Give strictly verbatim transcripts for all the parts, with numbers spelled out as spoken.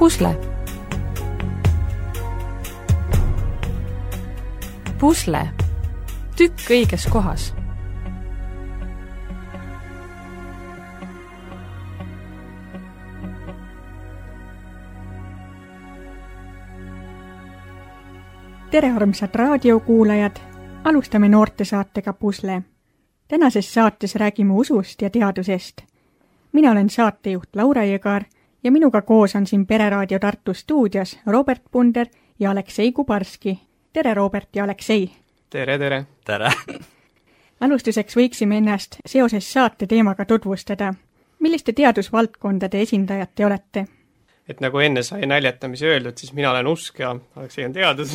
Pusle. Pusle. Tükk õiges kohas. Tere armsad raadiokuulajad, alustame noortesaatega Pusle. Tänases saates räägime usust ja teadusest. Mina olen saatejuht Laura Jõgar ja minuga koos on siin Pereraadio Tartu stuudios Robert Punder ja Aleksei Kubarski. Tere Robert ja Aleksei! Tere, tere! Tere! Alustuseks võiksime ennast seoses saate teemaga tutvustada. Milliste teadusvaldkondade esindajad te olete? Et nagu enne sai näljatamise öeldud, siis mina olen usk ja Aleksei on teadus,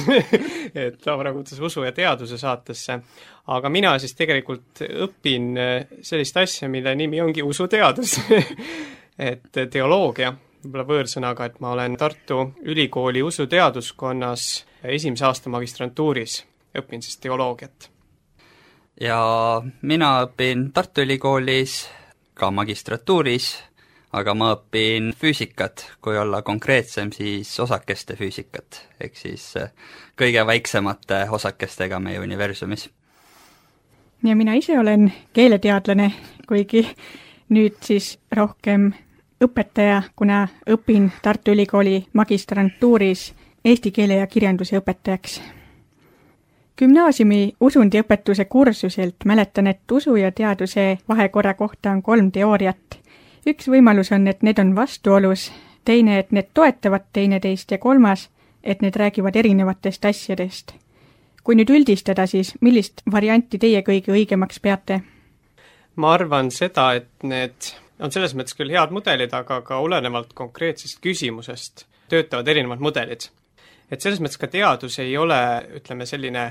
et Laura kutsus usu ja teaduse saatesse. Aga mina siis tegelikult õpin sellist asja, mille nimi ongi usuteadus. et teoloogia, võib-olla võõrsõnaga, et ma olen Tartu Ülikooli usuteaduskonnas esimese aasta magistrantuuris, õpin siis teoloogiat. Ja mina õpin Tartu Ülikoolis ka magistratuuris, aga ma õpin füüsikat, kui olla konkreetsem, siis osakeste füüsikat, ehk siis kõige väiksemate osakestega meie universumis. Ja mina ise olen keeleteadlane, kuigi nüüd siis rohkem õpetaja, kuna õpin Tartu Ülikooli magistrantuuris eesti keele ja kirjanduse õpetajaks. Gümnaasiumi usundiõpetuse kursuselt mäletan, et usu ja teaduse vahekorra kohta on kolm teooriat. Üks võimalus on, et need on vastuolus, teine, et need toetavad teineteist ja kolmas, et need räägivad erinevatest asjadest. Kui nüüd üldistada, siis millist varianti teie kõige õigemaks peate? Ma arvan seda, et need on selles mõttes küll head mudelid, aga ka olenevalt konkreetsest küsimusest töötavad erinevad mudelid. Et selles mõttes ka teadus ei ole, ütleme selline,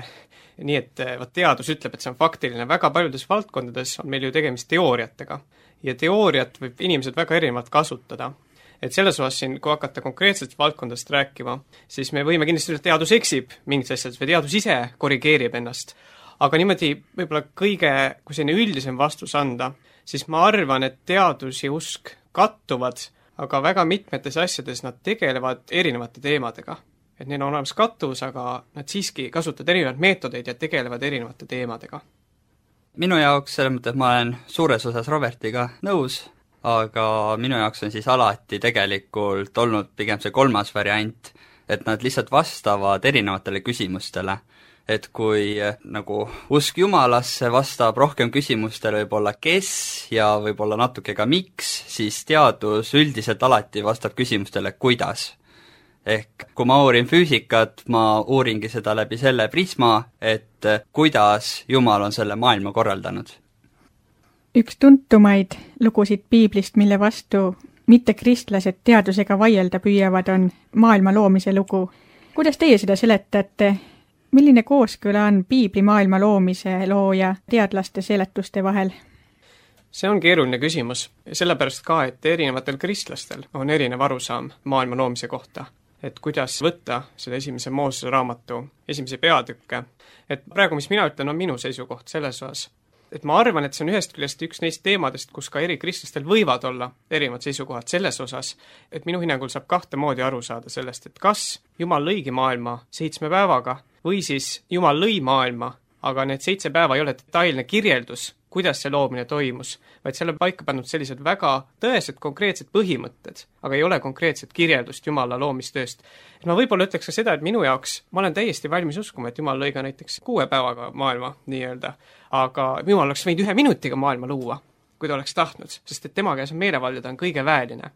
nii et vaat teadus ütleb, et see on faktiline. Väga paljudes valdkondades on meil ju tegemist teooriatega. Ja teooriat võib inimesed väga erinevalt kasutada. Et selles osas siin, kui hakata konkreetselt valdkondast rääkima, siis me võime kindlasti öelda, et teadus eksib mingis asjades või teadus ise korrigeerib ennast. Aga niimoodi võib-olla kõige, kui selline üldisem vastus anda, siis ma arvan, et teadus ja usk kattuvad, aga väga mitmetes asjades nad tegelevad erinevate teemadega. Et neil on olemas kattuvus, aga nad siiski kasutavad erinevaid meetodeid ja tegelevad erinevate teemadega. Minu jaoks selles mõttes ma olen suures osas Robertiga nõus, aga minu jaoks on siis alati tegelikult olnud pigem see kolmas variant, et nad lihtsalt vastavad erinevatele küsimustele. Et kui nagu usk Jumalasse vastab rohkem küsimustele võib-olla kes ja võib-olla natuke ka miks, siis teadus üldiselt alati vastab küsimustele kuidas. Ehk kui ma uurin füüsikat, ma uuringi seda läbi selle prisma, et kuidas Jumal on selle maailma korraldanud. Üks tuntumaid lugusid piiblist, mille vastu mitte kristlased teadusega vaielda püüavad, on maailma loomise lugu. Kuidas teie seda seletate? Milline kooskõla on piibli maailma loomise loo ja teadlaste seletuste vahel? See on keeruline küsimus. Sellepärast ka, et erinevatel kristlastel on erinev arusaam maailma loomise kohta. Et kuidas võtta selle esimese Moosese raamatu esimese peatükke. Et praegu, mis mina ütlen, on minu seisukoht selles osas. Et ma arvan, et see on ühest küljest üks neist teemadest, kus ka eri kristlastel võivad olla erinevad seisukohad selles osas, et minu hinnangul saab kahte moodi aru saada sellest, et kas Jumal lõigi maailma seitsme päevaga või siis Jumal lõi maailma, aga need seitse päeva ei ole detailne kirjeldus, kuidas see loomine toimus, vaid selle paika pannud sellised väga tõesed konkreetsed põhimõtted, aga ei ole konkreetset kirjeldust Jumala loomistööst. Et ma võib-olla ütleks ka seda, et minu jaoks ma olen täiesti valmis uskuma, et Jumal lõi ka näiteks kuue päevaga maailma nii-öelda, aga Jumal oleks võinud ühe minutiga maailma luua, kui ta oleks tahtnud, sest et tema käes on meelevald ja ta on kõige väeline.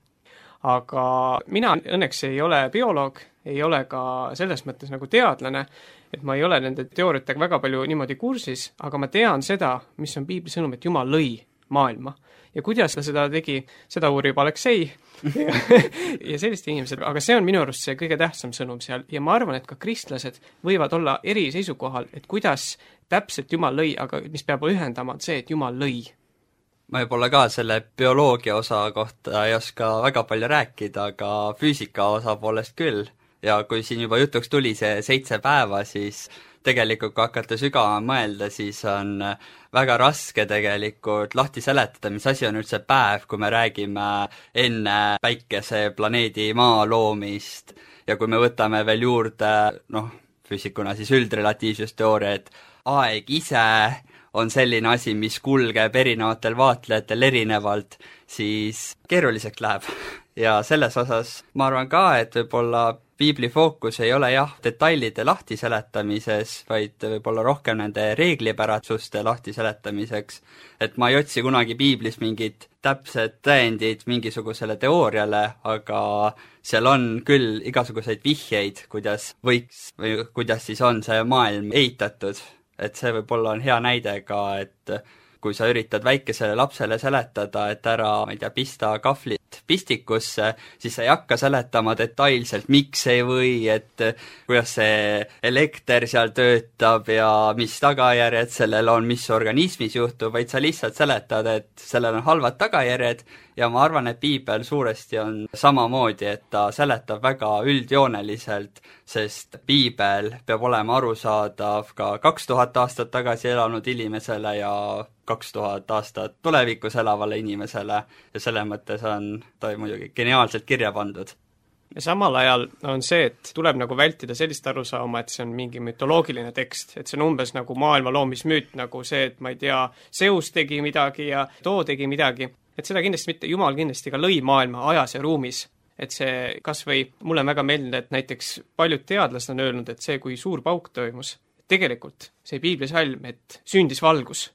Aga mina õnneks ei ole bioloog, ei ole ka selles mõttes nagu teadlane, et ma ei ole nende teooriatega väga palju niimoodi kursis, aga ma tean seda, mis on piibli sõnum, et Jumal lõi maailma. Ja kuidas ta seda tegi, seda uurib Aleksei ja, ja sellist inimesed, aga see on minu arust see kõige tähtsam sõnum seal ja ma arvan, et ka kristlased võivad olla eri seisukohal, et kuidas täpselt Jumal lõi, aga mis peab ühendama, on see, et Jumal lõi. Ma võib-olla ka selle bioloogia osa kohta ei oska väga palju rääkida, aga füüsika osa poolest küll. ja kui siin juba jutuks tuli see seitse päeva, siis tegelikult kui hakata sügavama mõelda, siis on väga raske tegelikult lahti seletada, mis asi on üldse päev, kui me räägime enne päikeseplaneedi maa loomist ja kui me võtame veel juurde, noh, füüsikuna siis üldrelatiivsusteooria, et aeg ise on selline asi, mis kulgeb erinevatel vaatlejatel erinevalt, siis keeruliseks läheb. Ja selles osas ma arvan ka, et võib-olla piibli fookus ei ole jah detailide lahtiseletamises, vaid võib-olla rohkem nende reeglipärasuste lahtiseletamiseks, et ma ei otsi kunagi piiblis mingit täpset tõendid mingisugusele teooriale, aga seal on küll igasuguseid vihjeid, kuidas võiks või kuidas siis on see maailm ehitatud, et see võib-olla on hea näide ka, et kui sa üritad väikesele lapsele seletada, et ära, ma ei tea, pista kahvlit pistikusse, siis sa ei hakka seletama detailselt, miks ei või, et kuidas see elekter seal töötab ja mis tagajärjed sellel on, mis organismis juhtub, vaid sa lihtsalt seletad, et sellel on halvad tagajärjed ja ma arvan, et piibel suuresti on samamoodi, et ta seletab väga üldjooneliselt, sest piibel peab olema arusaadav ka kaks tuhat aastat tagasi elanud inimesele ja kaks tuhat aastat tulevikus elavale inimesele ja selle mõttes on ta muidugi geniaalselt kirja pandud. Ja samal ajal on see, et tuleb nagu vältida sellist arusaama, et see on mingi mütoloogiline tekst, et see on umbes nagu maailma loomismüüt, nagu see, et ma ei tea, Zeus tegi midagi ja too tegi midagi, et seda kindlasti mitte, Jumal kindlasti ka lõi maailma ajas ja ruumis. Et see kas või, mulle on väga meeldinud, et näiteks paljud teadlased on öelnud, et see, kui suur pauk toimus, tegelikult see piiblisalm, et sündis valgus.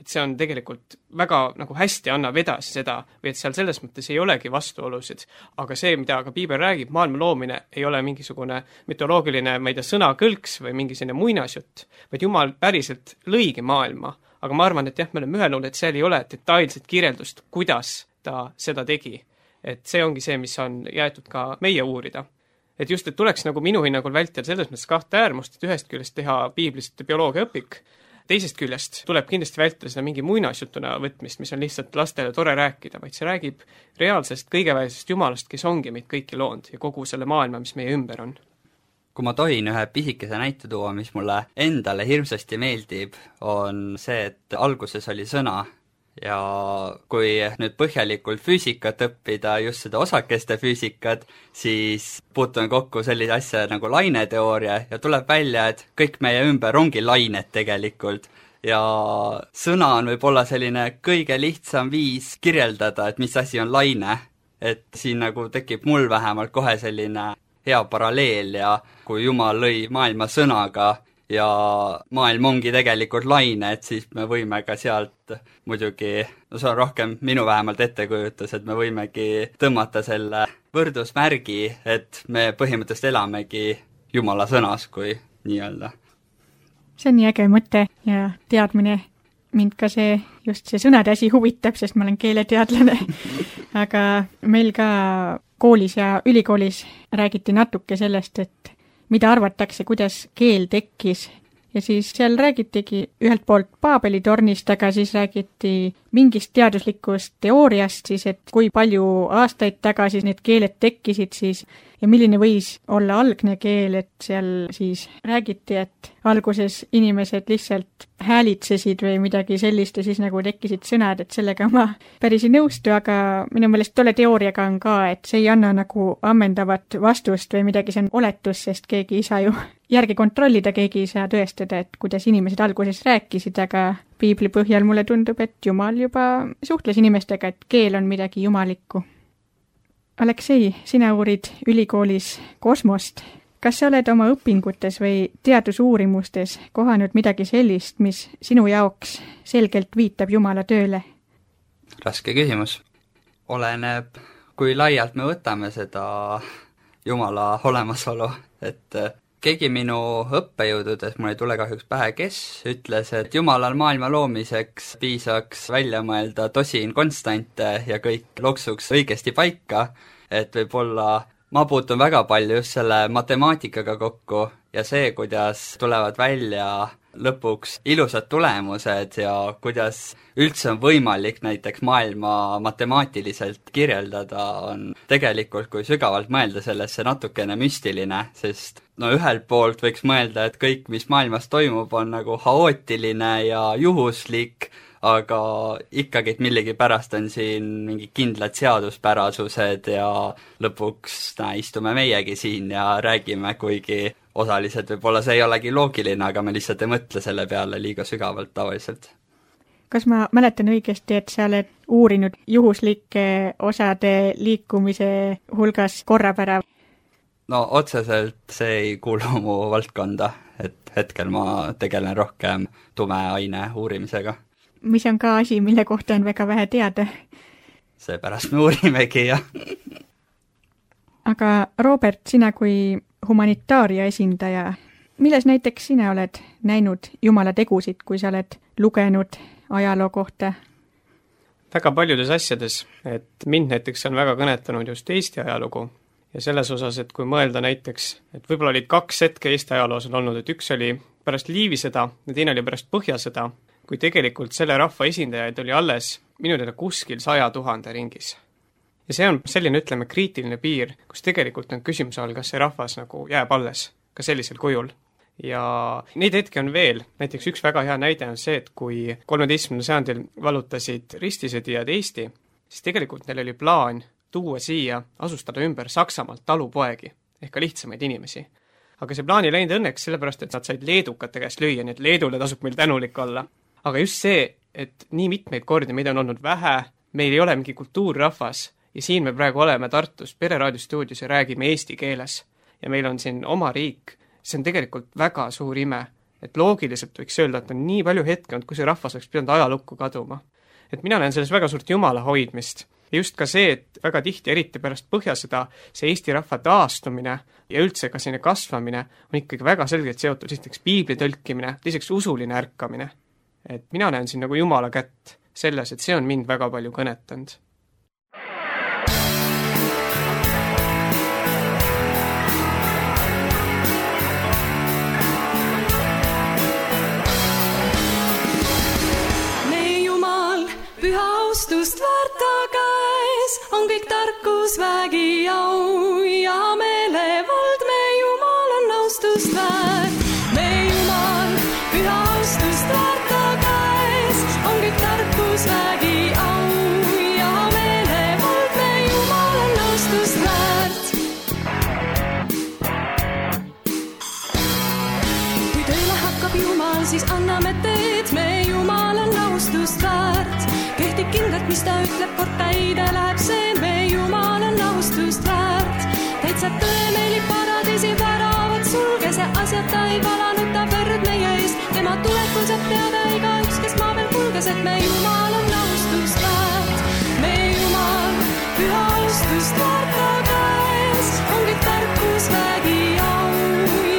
Et see on tegelikult väga nagu hästi annab edasi seda, või et seal selles mõttes ei olegi vastuolusid, aga see, mida ka piibel räägib, maailma loomine ei ole mingisugune mütoloogiline, ma ei tea, sõnakõlks või mingi selline muinasjutt, vaid Jumal päriselt lõigi maailma, aga ma arvan, et jah, me oleme ühelnud, et seal ei ole detailset kirjeldust, kuidas ta seda tegi. Et see ongi see, mis on jäetud ka meie uurida. Et just, et tuleks nagu minu hinnangul vältida selles mõttes kahte äärmust, et ühest küljest teha piiblist bioloogia õpik, teisest küljest tuleb kindlasti vältida seda mingi muinasjutuna võtmist, mis on lihtsalt lastele tore rääkida, vaid see räägib reaalsest kõigeväisest Jumalast, kes ongi meid kõiki loonud ja kogu selle maailma, mis meie ümber on. Kui ma tohin ühe pisikese näite tuua, mis mulle endale hirmsasti meeldib, on see, et alguses oli sõna ja kui nüüd põhjalikult füüsikat õppida, just seda osakeste füüsikat, siis puutume kokku sellise asja nagu laineteooria ja tuleb välja, et kõik meie ümber ongi lained tegelikult. Ja sõna on võib-olla selline kõige lihtsam viis kirjeldada, et mis asi on laine. Et siin nagu tekib mul vähemalt kohe selline hea paralleel ja kui Jumal lõi maailma sõnaga, ja maailm ongi tegelikult laine, et siis me võime ka sealt muidugi, no see on rohkem minu vähemalt ettekujutus, et me võimegi tõmmata selle võrdusmärgi, et me põhimõtteliselt elamegi Jumala sõnas, kui nii-öelda. See on nii äge mõte ja teadmine. Mind ka see, just see sõnade asi huvitab, sest ma olen keeleteadlane. Aga meil ka koolis ja ülikoolis räägiti natuke sellest, et mida arvatakse, kuidas keel tekkis. Ja siis seal räägitigi ühelt poolt Paabeli tornist, aga siis räägiti mingist teaduslikust teooriast, siis et kui palju aastaid tagasi need keeled tekkisid siis ja milline võis olla algne keel, et seal siis räägiti, et alguses inimesed lihtsalt häälitsesid või midagi sellist ja siis nagu tekkisid sõnad, et sellega ma päris ei nõustu, aga minu meelest tolle teooriaga on ka, et see ei anna nagu ammendavat vastust või midagi, see on oletus, sest keegi ei saa ju järgi kontrollida, keegi ei saa tõestada, et kuidas inimesed alguses rääkisid, aga piibli põhjal mulle tundub, et Jumal juba suhtles inimestega, et keel on midagi jumalikku. Aleksei, sina uurid ülikoolis kosmost. Kas sa oled oma õpingutes või teadusuurimustes kohanud midagi sellist, mis sinu jaoks selgelt viitab Jumala tööle? Raske küsimus. Oleneb, kui laialt me võtame seda Jumala olemasolu, et keegi minu õppejõududes, mul ei tule kahjuks pähe, kes ütles, et Jumalal maailma loomiseks piisaks välja mõelda tosin konstante ja kõik loksuks õigesti paika, et võib-olla ma puutun väga palju just selle matemaatikaga kokku ja see, kuidas tulevad välja lõpuks ilusad tulemused ja kuidas üldse on võimalik näiteks maailma matemaatiliselt kirjeldada, on tegelikult, kui sügavalt mõelda sellesse, natukene müstiline, sest no ühelt poolt võiks mõelda, et kõik, mis maailmas toimub, on nagu haootiline ja juhuslik, aga ikkagi, et millegi pärast on siin mingi kindlad seaduspärasused ja lõpuks näe, istume meiegi siin ja räägime, kuigi osaliselt võib-olla see ei olegi loogiline, aga me lihtsalt ei mõtle selle peale liiga sügavalt tavaliselt. Kas ma mäletan õigesti, et sa oled uurinud juhuslike osade liikumise hulgas korrapära? No otseselt see ei kuulu mu valdkonda, et hetkel ma tegelen rohkem tumeaine uurimisega. Mis on ka asi, mille kohta on väga vähe teada? Seepärast me uurimegi, jah. Aga Robert, sina kui humanitaaria esindaja, milles näiteks sina oled näinud Jumala tegusid, kui sa oled lugenud ajaloo kohta? Väga paljudes asjades, et mind näiteks on väga kõnetanud just Eesti ajalugu ja selles osas, et kui mõelda näiteks, et võib-olla olid kaks hetke Eesti ajaloos on olnud, et üks oli pärast Liivisõda ja teine oli pärast Põhjasõda, kui tegelikult selle rahva esindajaid oli alles minu teada kuskil saja tuhande ringis. Ja see on selline, ütleme, kriitiline piir, kus tegelikult on küsimuse all, kas see rahvas nagu jääb alles ka sellisel kujul. Ja neid hetki on veel, näiteks üks väga hea näide on see, et kui kolmeteistkümnendal sajandil vallutasid ristisõdijad Eesti, siis tegelikult neil oli plaan tuua siia, asustada ümber Saksamaalt talupoegi ehk ka lihtsamaid inimesi. Aga see plaan ei läinud õnneks sellepärast, et nad said leedukate käest lüüa, nii et Leedule tasub meil tänulik olla. Aga just see, et nii mitmeid kordi meid on olnud vähe, meil ei ole mingi kultuurrahvas ja siin me praegu oleme Tartus pereraadiostuudios ja räägime eesti keeles ja meil on siin oma riik, see on tegelikult väga suur ime, et loogiliselt võiks öelda, et on nii palju hetke olnud, kui see rahvas oleks pidanud ajalukku kaduma. Et mina näen selles väga suurt Jumala hoidmist ja just ka see, et väga tihti, eriti pärast Põhjasõda, see Eesti rahva taastumine ja üldse ka selline kasvamine on ikkagi väga selgelt seotud esiteks piibli tõlkimine, teiseks usuline ärkamine. Et mina näen siin nagu Jumala kätt selles, et see on mind väga palju kõnetanud. Meie Jumal, püha austust väärta käes, on kõik tarkus, vägi, au ja meelevald, meie Jumal on austust väärt. Meie Jumal, püha austust väärta käes, on kõik tarkus, vägi, au ja meelevald, meie Jumal on austust väärt. Kui tööle hakkab Jumal, siis anname teed, meie Jumal on austust väärt. Kehtib kindlalt, mis ta ütleb, kord täide läheb see, meie Jumal on austust väärt. Täitsab tõe meili paradiisi väravad, sulge see asjad, ta ei valanud ta verd meie eest. Tema tulekul saab teada iga üks, kes maa veel kulges, et meie Jumal on austust väärt. Meie Jumal, püha austust väärt ta käes, on kõik tarkus, vägi, au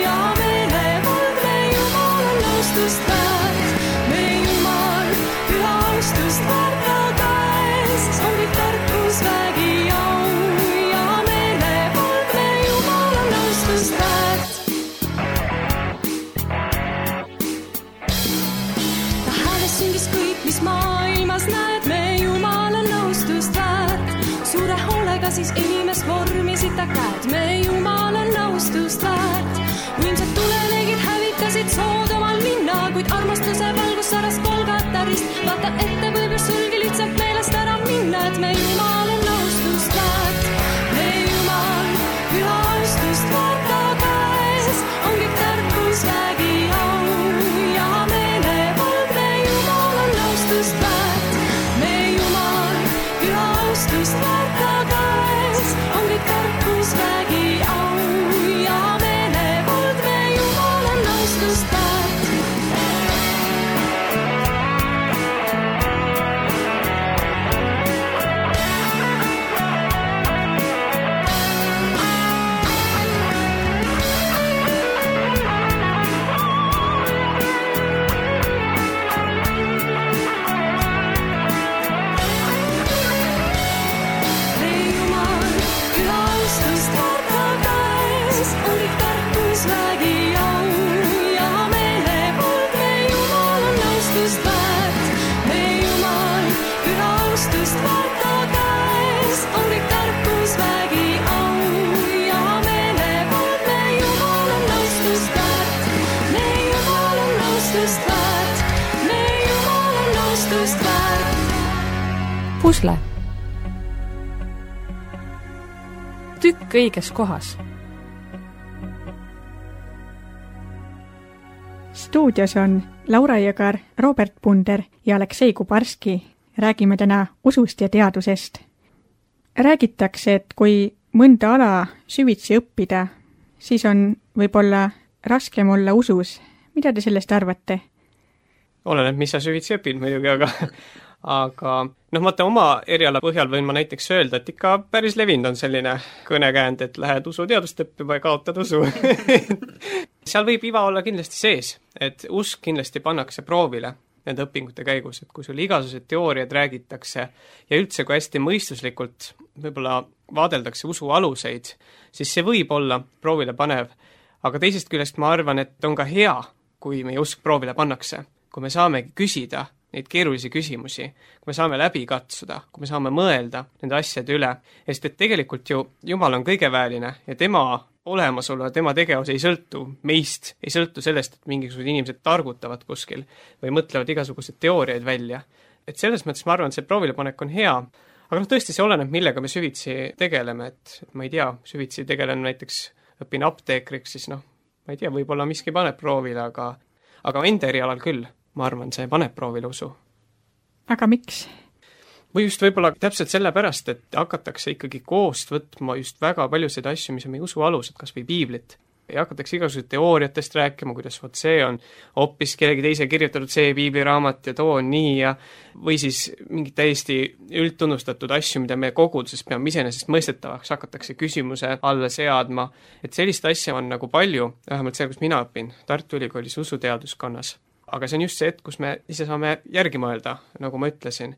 ja meelevald, meie Jumal on austust väärt. Meie Jumal, püha austust väärt ta käes, on kõik tarkus, vägi, au ja meelevald, meie Jumal on austust väärt. Ta hääles süngis kõik, mis maailmas näed, meie Jumal on austust väärt. Suure hoolega siis inimest vormisid ta käed, meie Jumal on austust väärt. Võimsad tulelegid hävitasid Soodomal linna, kuid armastuse valgus saras Golgatarist. Vaata ette võib sulgi lihtsalt meelest ära minna, et meie Jumal on austust väärt. Meie Jumal, püha austust väärt ta käes, on kõik tarkus, vägi, au ja meelevald, meie Jumal on austust väärt. Meie Jumal, püha austust väärt ta käes, on kõik tarkus, vägi, au ja meelevald. pusle. Tükk õiges kohas. Stuudios on Laura Jõgar, Robert Punder ja Aleksei Kubarski. Räägime täna usust ja teadusest. Räägitakse, et kui mõnda ala süvitsi õppida, siis on võib-olla raskem olla usus. Mida te sellest arvate? Oleneb, mis sa süvitsi õpid muidugi, aga aga noh, vaata oma eriala põhjal võin ma näiteks öelda, et ikka päris levinud on selline kõnekäänd, et lähed usuteadust õppima ja kaotad usu. Seal võib iva olla kindlasti sees, et usk kindlasti pannakse proovile nende õpingute käigus, et kui sul igasugused teooriad räägitakse ja üldse kui hästi mõistuslikult võib-olla vaadeldakse usu aluseid, siis see võib olla proovile panev. Aga teisest küljest ma arvan, et on ka hea, kui meie usk proovile pannakse, kui me saamegi küsida neid keerulisi küsimusi, kui me saame läbi katsuda, kui me saame mõelda nende asjade üle, sest et tegelikult ju Jumal on kõigeväeline ja tema olemasolu ja tema tegevus ei sõltu meist, ei sõltu sellest, et mingisugused inimesed targutavad kuskil või mõtlevad igasuguseid teooriaid välja. Et selles mõttes ma arvan, et see proovilepanek on hea, aga noh, tõesti see oleneb, millega me süvitsi tegeleme, et ma ei tea, süvitsi tegelen näiteks, õpin apteekriks, siis noh, ma ei tea, võib-olla miski paneb proovile, aga, aga enda erialal küll. Ma arvan, see paneb proovile usu. Aga miks? Või just võib-olla täpselt sellepärast, et hakatakse ikkagi koost võtma just väga paljusid asju, mis on meie usu alused, kas või piiblit. Ja hakatakse igasugused teooriatest rääkima, kuidas võt see on hoopis kellegi teise kirjutatud see piibliraamat ja too on nii ja või siis mingid täiesti üldtunnustatud asju, mida me koguduses peame iseenesest mõistetavaks, hakatakse küsimuse alla seadma. Et sellist asja on nagu palju, vähemalt seal, kus mina õpin, Tartu Ülikoolis usuteaduskonnas. Aga see on just see, et kus me ise saame järgi mõelda, nagu ma ütlesin.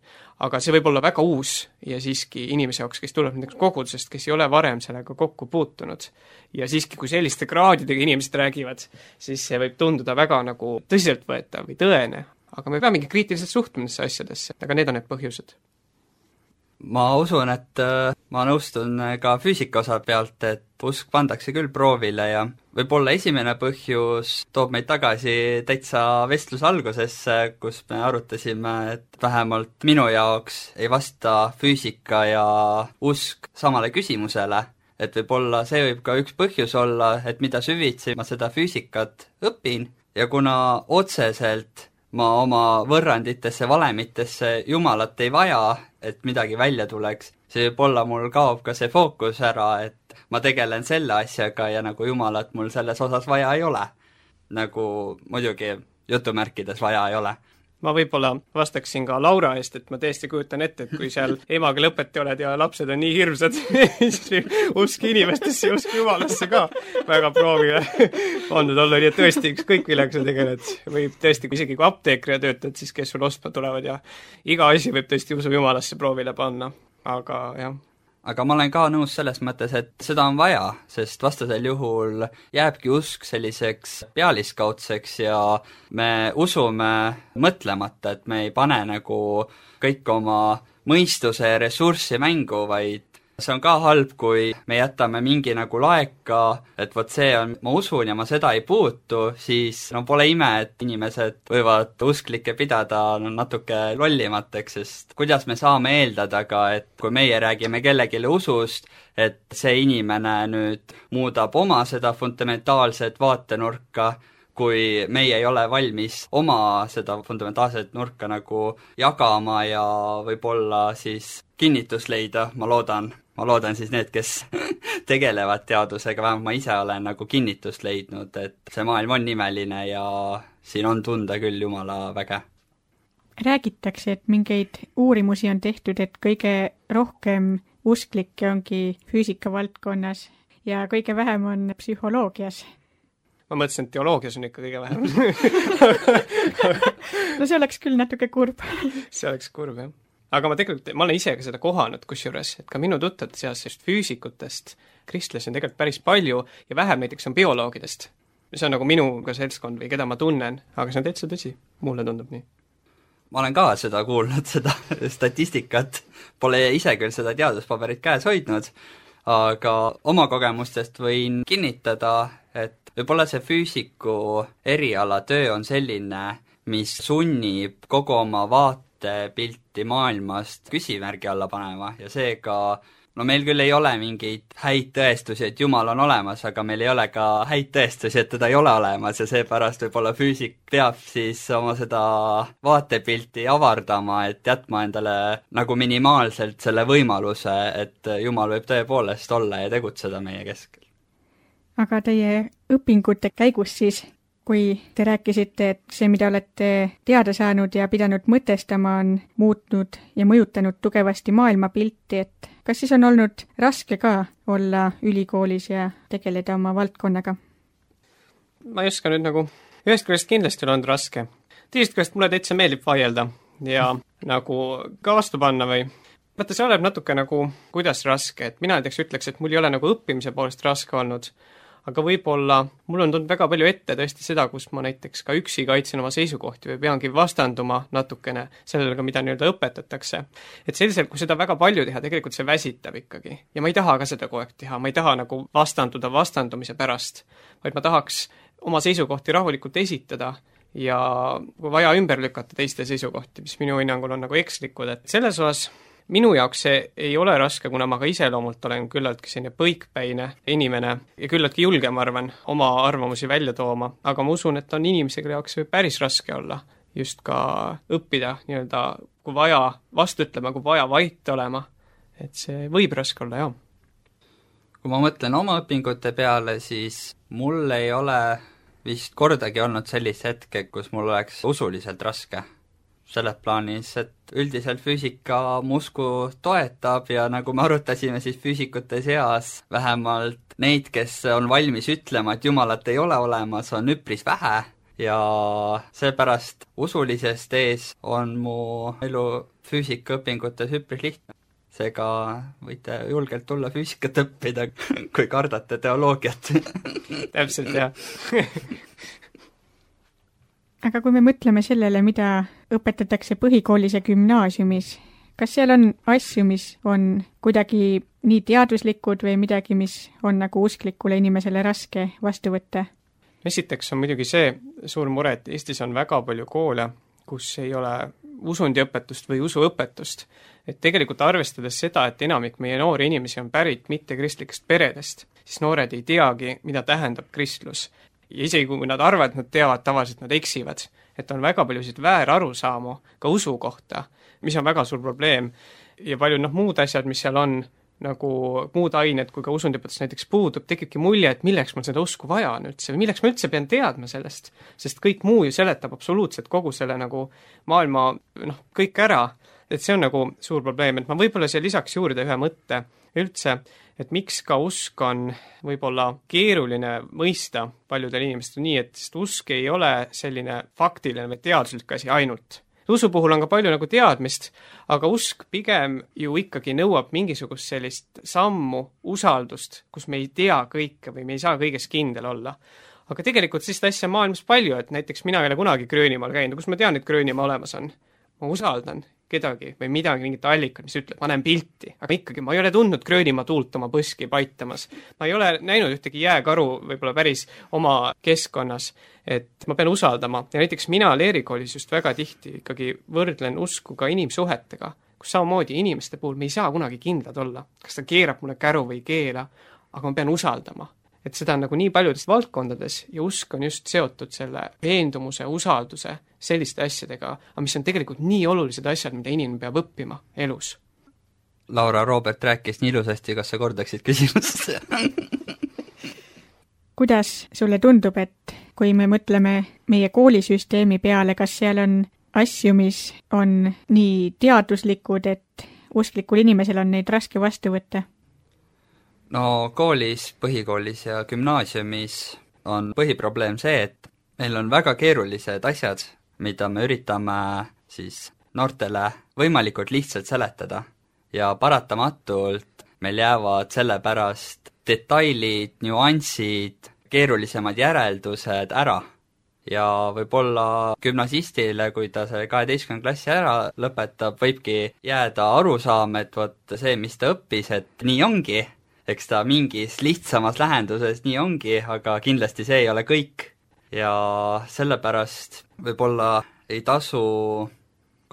Aga see võib olla väga uus ja siiski inimese jaoks, kes tuleb näiteks kogudusest, kes ei ole varem sellega kokku puutunud. Ja siiski, kui selliste kraadidega inimesed räägivad, siis see võib tunduda väga nagu tõsiseltvõetav või tõene. Aga me peamegi kriitiliselt suhtuma nendesse asjadesse, aga need on need põhjused. Ma usun, et ma nõustun ka füüsika osa pealt, et usk pandakse küll proovile ja võib-olla esimene põhjus toob meid tagasi täitsa vestluse algusesse, kus me arutasime, et vähemalt minu jaoks ei vasta füüsika ja usk samale küsimusele, et võib-olla see võib ka üks põhjus olla, et mida süvitsi ma seda füüsikat õpin ja kuna otseselt ma oma võrranditesse, valemitesse Jumalat ei vaja, et midagi välja tuleks, see võib-olla mul kaob ka see fookus ära, et ma tegelen selle asjaga ja nagu Jumalat mul selles osas vaja ei ole. Nagu muidugi jutumärkides vaja ei ole. Ma võib-olla vastaksin ka Laura eest, et ma tõesti kujutan ette, et kui seal emaga lõpeti oled ja lapsed on nii hirmsad, siis usk inimestesse ja usk Jumalasse ka väga proovile pandud olla, nii et tõesti ükskõik millega sa tegeled. Võib tõesti, kui isegi kui apteekria töötad, siis kes sul ostma tulevad ja iga asi võib tõesti usu Jumalasse proovile panna, aga jah. Aga ma olen ka nõus selles mõttes, et seda on vaja, sest vastasel juhul jääbki usk selliseks pealiskaudseks ja me usume mõtlemata, et me ei pane nagu kõik oma mõistuse ja ressurssi mängu, vaid see on ka halb, kui me jätame mingi nagu laeka, et vot see on, ma usun ja ma seda ei puutu, siis no pole ime, et inimesed võivad usklikke pidada no, natuke lollimateks, sest kuidas me saame eeldada ka, et kui meie räägime kellelegi usust, et see inimene nüüd muudab oma seda fundamentaalset vaatenurka, kui meie ei ole valmis oma seda fundamentaalset nurka nagu jagama ja võib-olla siis kinnitust leida, ma loodan, ma loodan siis need, kes tegelevad teadusega, vähemalt ma ise olen nagu kinnitust leidnud, et see maailm on imeline ja siin on tunda küll Jumala väge. Räägitakse, et mingeid uurimusi on tehtud, et kõige rohkem usklikke ongi füüsika valdkonnas ja kõige vähem on psühholoogias. Ma mõtlesin, et teoloogias on ikka kõige vähem. No see oleks küll natuke kurb. See oleks kurb, jah. Aga ma tegelikult, ma olen ise ka seda kohanud kusjuures, et ka minu tuttavate seas just füüsikutest kristlasi on tegelikult päris palju ja vähem näiteks on bioloogidest. See on nagu minu ka seltskond või keda ma tunnen, aga see on täitsa tõsi. Mulle tundub nii. Ma olen ka seda kuulnud, seda statistikat. Pole ise küll seda teaduspaberit käes hoidnud, aga oma kogemustest võin kinnitada, et võib-olla see füüsiku eriala töö on selline, mis sunnib kogu oma vaate vaatepilti maailmast küsimärgi alla panema ja seega no meil küll ei ole mingeid häid tõestusi, et Jumal on olemas, aga meil ei ole ka häid tõestusi, et teda ei ole olemas ja seepärast võib-olla füüsik peab siis oma seda vaatepilti avardama, et jätma endale nagu minimaalselt selle võimaluse, et Jumal võib tõepoolest olla ja tegutseda meie keskel. Aga teie õpingute käigus siis, kui te rääkisite, et see, mida olete teada saanud ja pidanud mõtestama, on muutnud ja mõjutanud tugevasti maailmapilti, et kas siis on olnud raske ka olla ülikoolis ja tegeleda oma valdkonnaga? Ma ei oska nüüd nagu, ühest küljest kindlasti on olnud raske. Teisest küljest mulle täitsa meeldib vaielda ja nagu ka vastu panna või vaata, see oleb natuke nagu, kuidas raske, et mina näiteks ütleks, et mul ei ole nagu õppimise poolest raske olnud, aga võib-olla mul on tulnud väga palju ette tõesti seda, kus ma näiteks ka üksi kaitsen oma seisukohti või peangi vastanduma natukene sellele, mida nii-öelda õpetatakse. Et selliselt, kui seda väga palju teha, tegelikult see väsitab ikkagi. Ja ma ei taha ka seda kogu aeg teha, ma ei taha nagu vastanduda vastandumise pärast, vaid ma tahaks oma seisukohti rahulikult esitada ja kui vaja ümber lükata teiste seisukohti, mis minu hinnangul on nagu ekslikud, et selles osas minu jaoks see ei ole raske, kuna ma ka iseloomult olen küllaltki selline põikpäine inimene ja küllaltki julge, ma arvan, oma arvamusi välja tooma, aga ma usun, et on inimese, kelle jaoks see võib päris raske olla just ka õppida nii-öelda, kui vaja vastu ütlema, kui vaja vait olema, et see võib raske olla, jah. Kui ma mõtlen oma õpingute peale, siis mul ei ole vist kordagi olnud sellist hetke, kus mul oleks usuliselt raske. Selles plaanis, et üldiselt füüsika mu usku toetab ja nagu me arutasime, siis füüsikute seas vähemalt neid, kes on valmis ütlema, et Jumalat ei ole olemas, on üpris vähe ja seepärast usulisest ees on mu elu füüsikaõpingutes üpris lihtne. Seega võite julgelt tulla füüsikat õppida, kui kardate teoloogiat. Täpselt, jah. Aga kui me mõtleme sellele, mida õpetatakse põhikoolis ja gümnaasiumis, kas seal on asju, mis on kuidagi nii teaduslikud või midagi, mis on nagu usklikule inimesele raske vastu võtta? Esiteks on muidugi see suur mure, et Eestis on väga palju koole, kus ei ole usundiõpetust või usuõpetust. Et tegelikult arvestades seda, et enamik meie noori inimesi on pärit mittekristlikest peredest, siis noored ei teagi, mida tähendab kristlus. Ja isegi kui nad arvavad, et nad teavad, tavaliselt nad eksivad. Et on väga paljusid väärarusaamu ka usu kohta, mis on väga suur probleem. Ja palju noh, muud asjad, mis seal on, nagu muud ained, kui ka usundiõpetus näiteks puudub, tekibki mulje, et milleks mul seda usku vaja on üldse, või milleks ma üldse pean teadma sellest. Sest kõik muu ju seletab absoluutselt kogu selle nagu maailma, noh, kõik ära. Et see on nagu suur probleem, et ma võib-olla siia lisaks juurde ühe mõtte üldse, et miks ka usk on võib-olla keeruline mõista paljudel inimestel nii, et sest usk ei ole selline faktiline või teaduslik asi ainult. Usu puhul on ka palju nagu teadmist, aga usk pigem ju ikkagi nõuab mingisugust sellist sammu, usaldust, kus me ei tea kõike või me ei saa kõiges kindel olla. Aga tegelikult sellist asja maailmas palju, et näiteks mina ei ole kunagi Gröönimaal käinud, kus ma tean, et Gröönimaa olemas on. Ma usaldan kedagi või midagi, mingit allikat, mis ütleb, ma näen pilti, aga ikkagi ma ei ole tundnud Gröönimaa tuult oma põski paitamas. Ma ei ole näinud ühtegi jääkaru võib-olla päris oma keskkonnas, et ma pean usaldama. Ja näiteks mina leerikoolis just väga tihti ikkagi võrdlen usku ka inimsuhetega, kus samamoodi inimeste puhul me ei saa kunagi kindlad olla, kas ta keerab mulle käru või keela, aga ma pean usaldama. Et seda on nagu nii paljudes valdkondades ja usk on just seotud selle veendumuse, usalduse, selliste asjadega, aga mis on tegelikult nii olulised asjad, mida inimene peab õppima elus. Laura, Robert rääkis nii ilusasti, kas sa kordaksid küsimust? Kuidas sulle tundub, et kui me mõtleme meie koolisüsteemi peale, kas seal on asju, mis on nii teaduslikud, et usklikul inimesel on neid raske vastu võtta? No koolis, põhikoolis ja gümnaasiumis on põhiprobleem see, et meil on väga keerulised asjad, mida me üritame siis noortele võimalikult lihtsalt seletada ja paratamatult meil jäävad selle pärast detailid, nüansid, keerulisemad järeldused ära. Ja võib-olla gümnasistile, kui ta see kaheteistkümnenda klassi ära lõpetab, võibki jääda arusaam, et vot see, mis ta õppis, et nii ongi, eks ta mingis lihtsamas lähenduses nii ongi, aga kindlasti see ei ole kõik. Ja sellepärast võib-olla ei tasu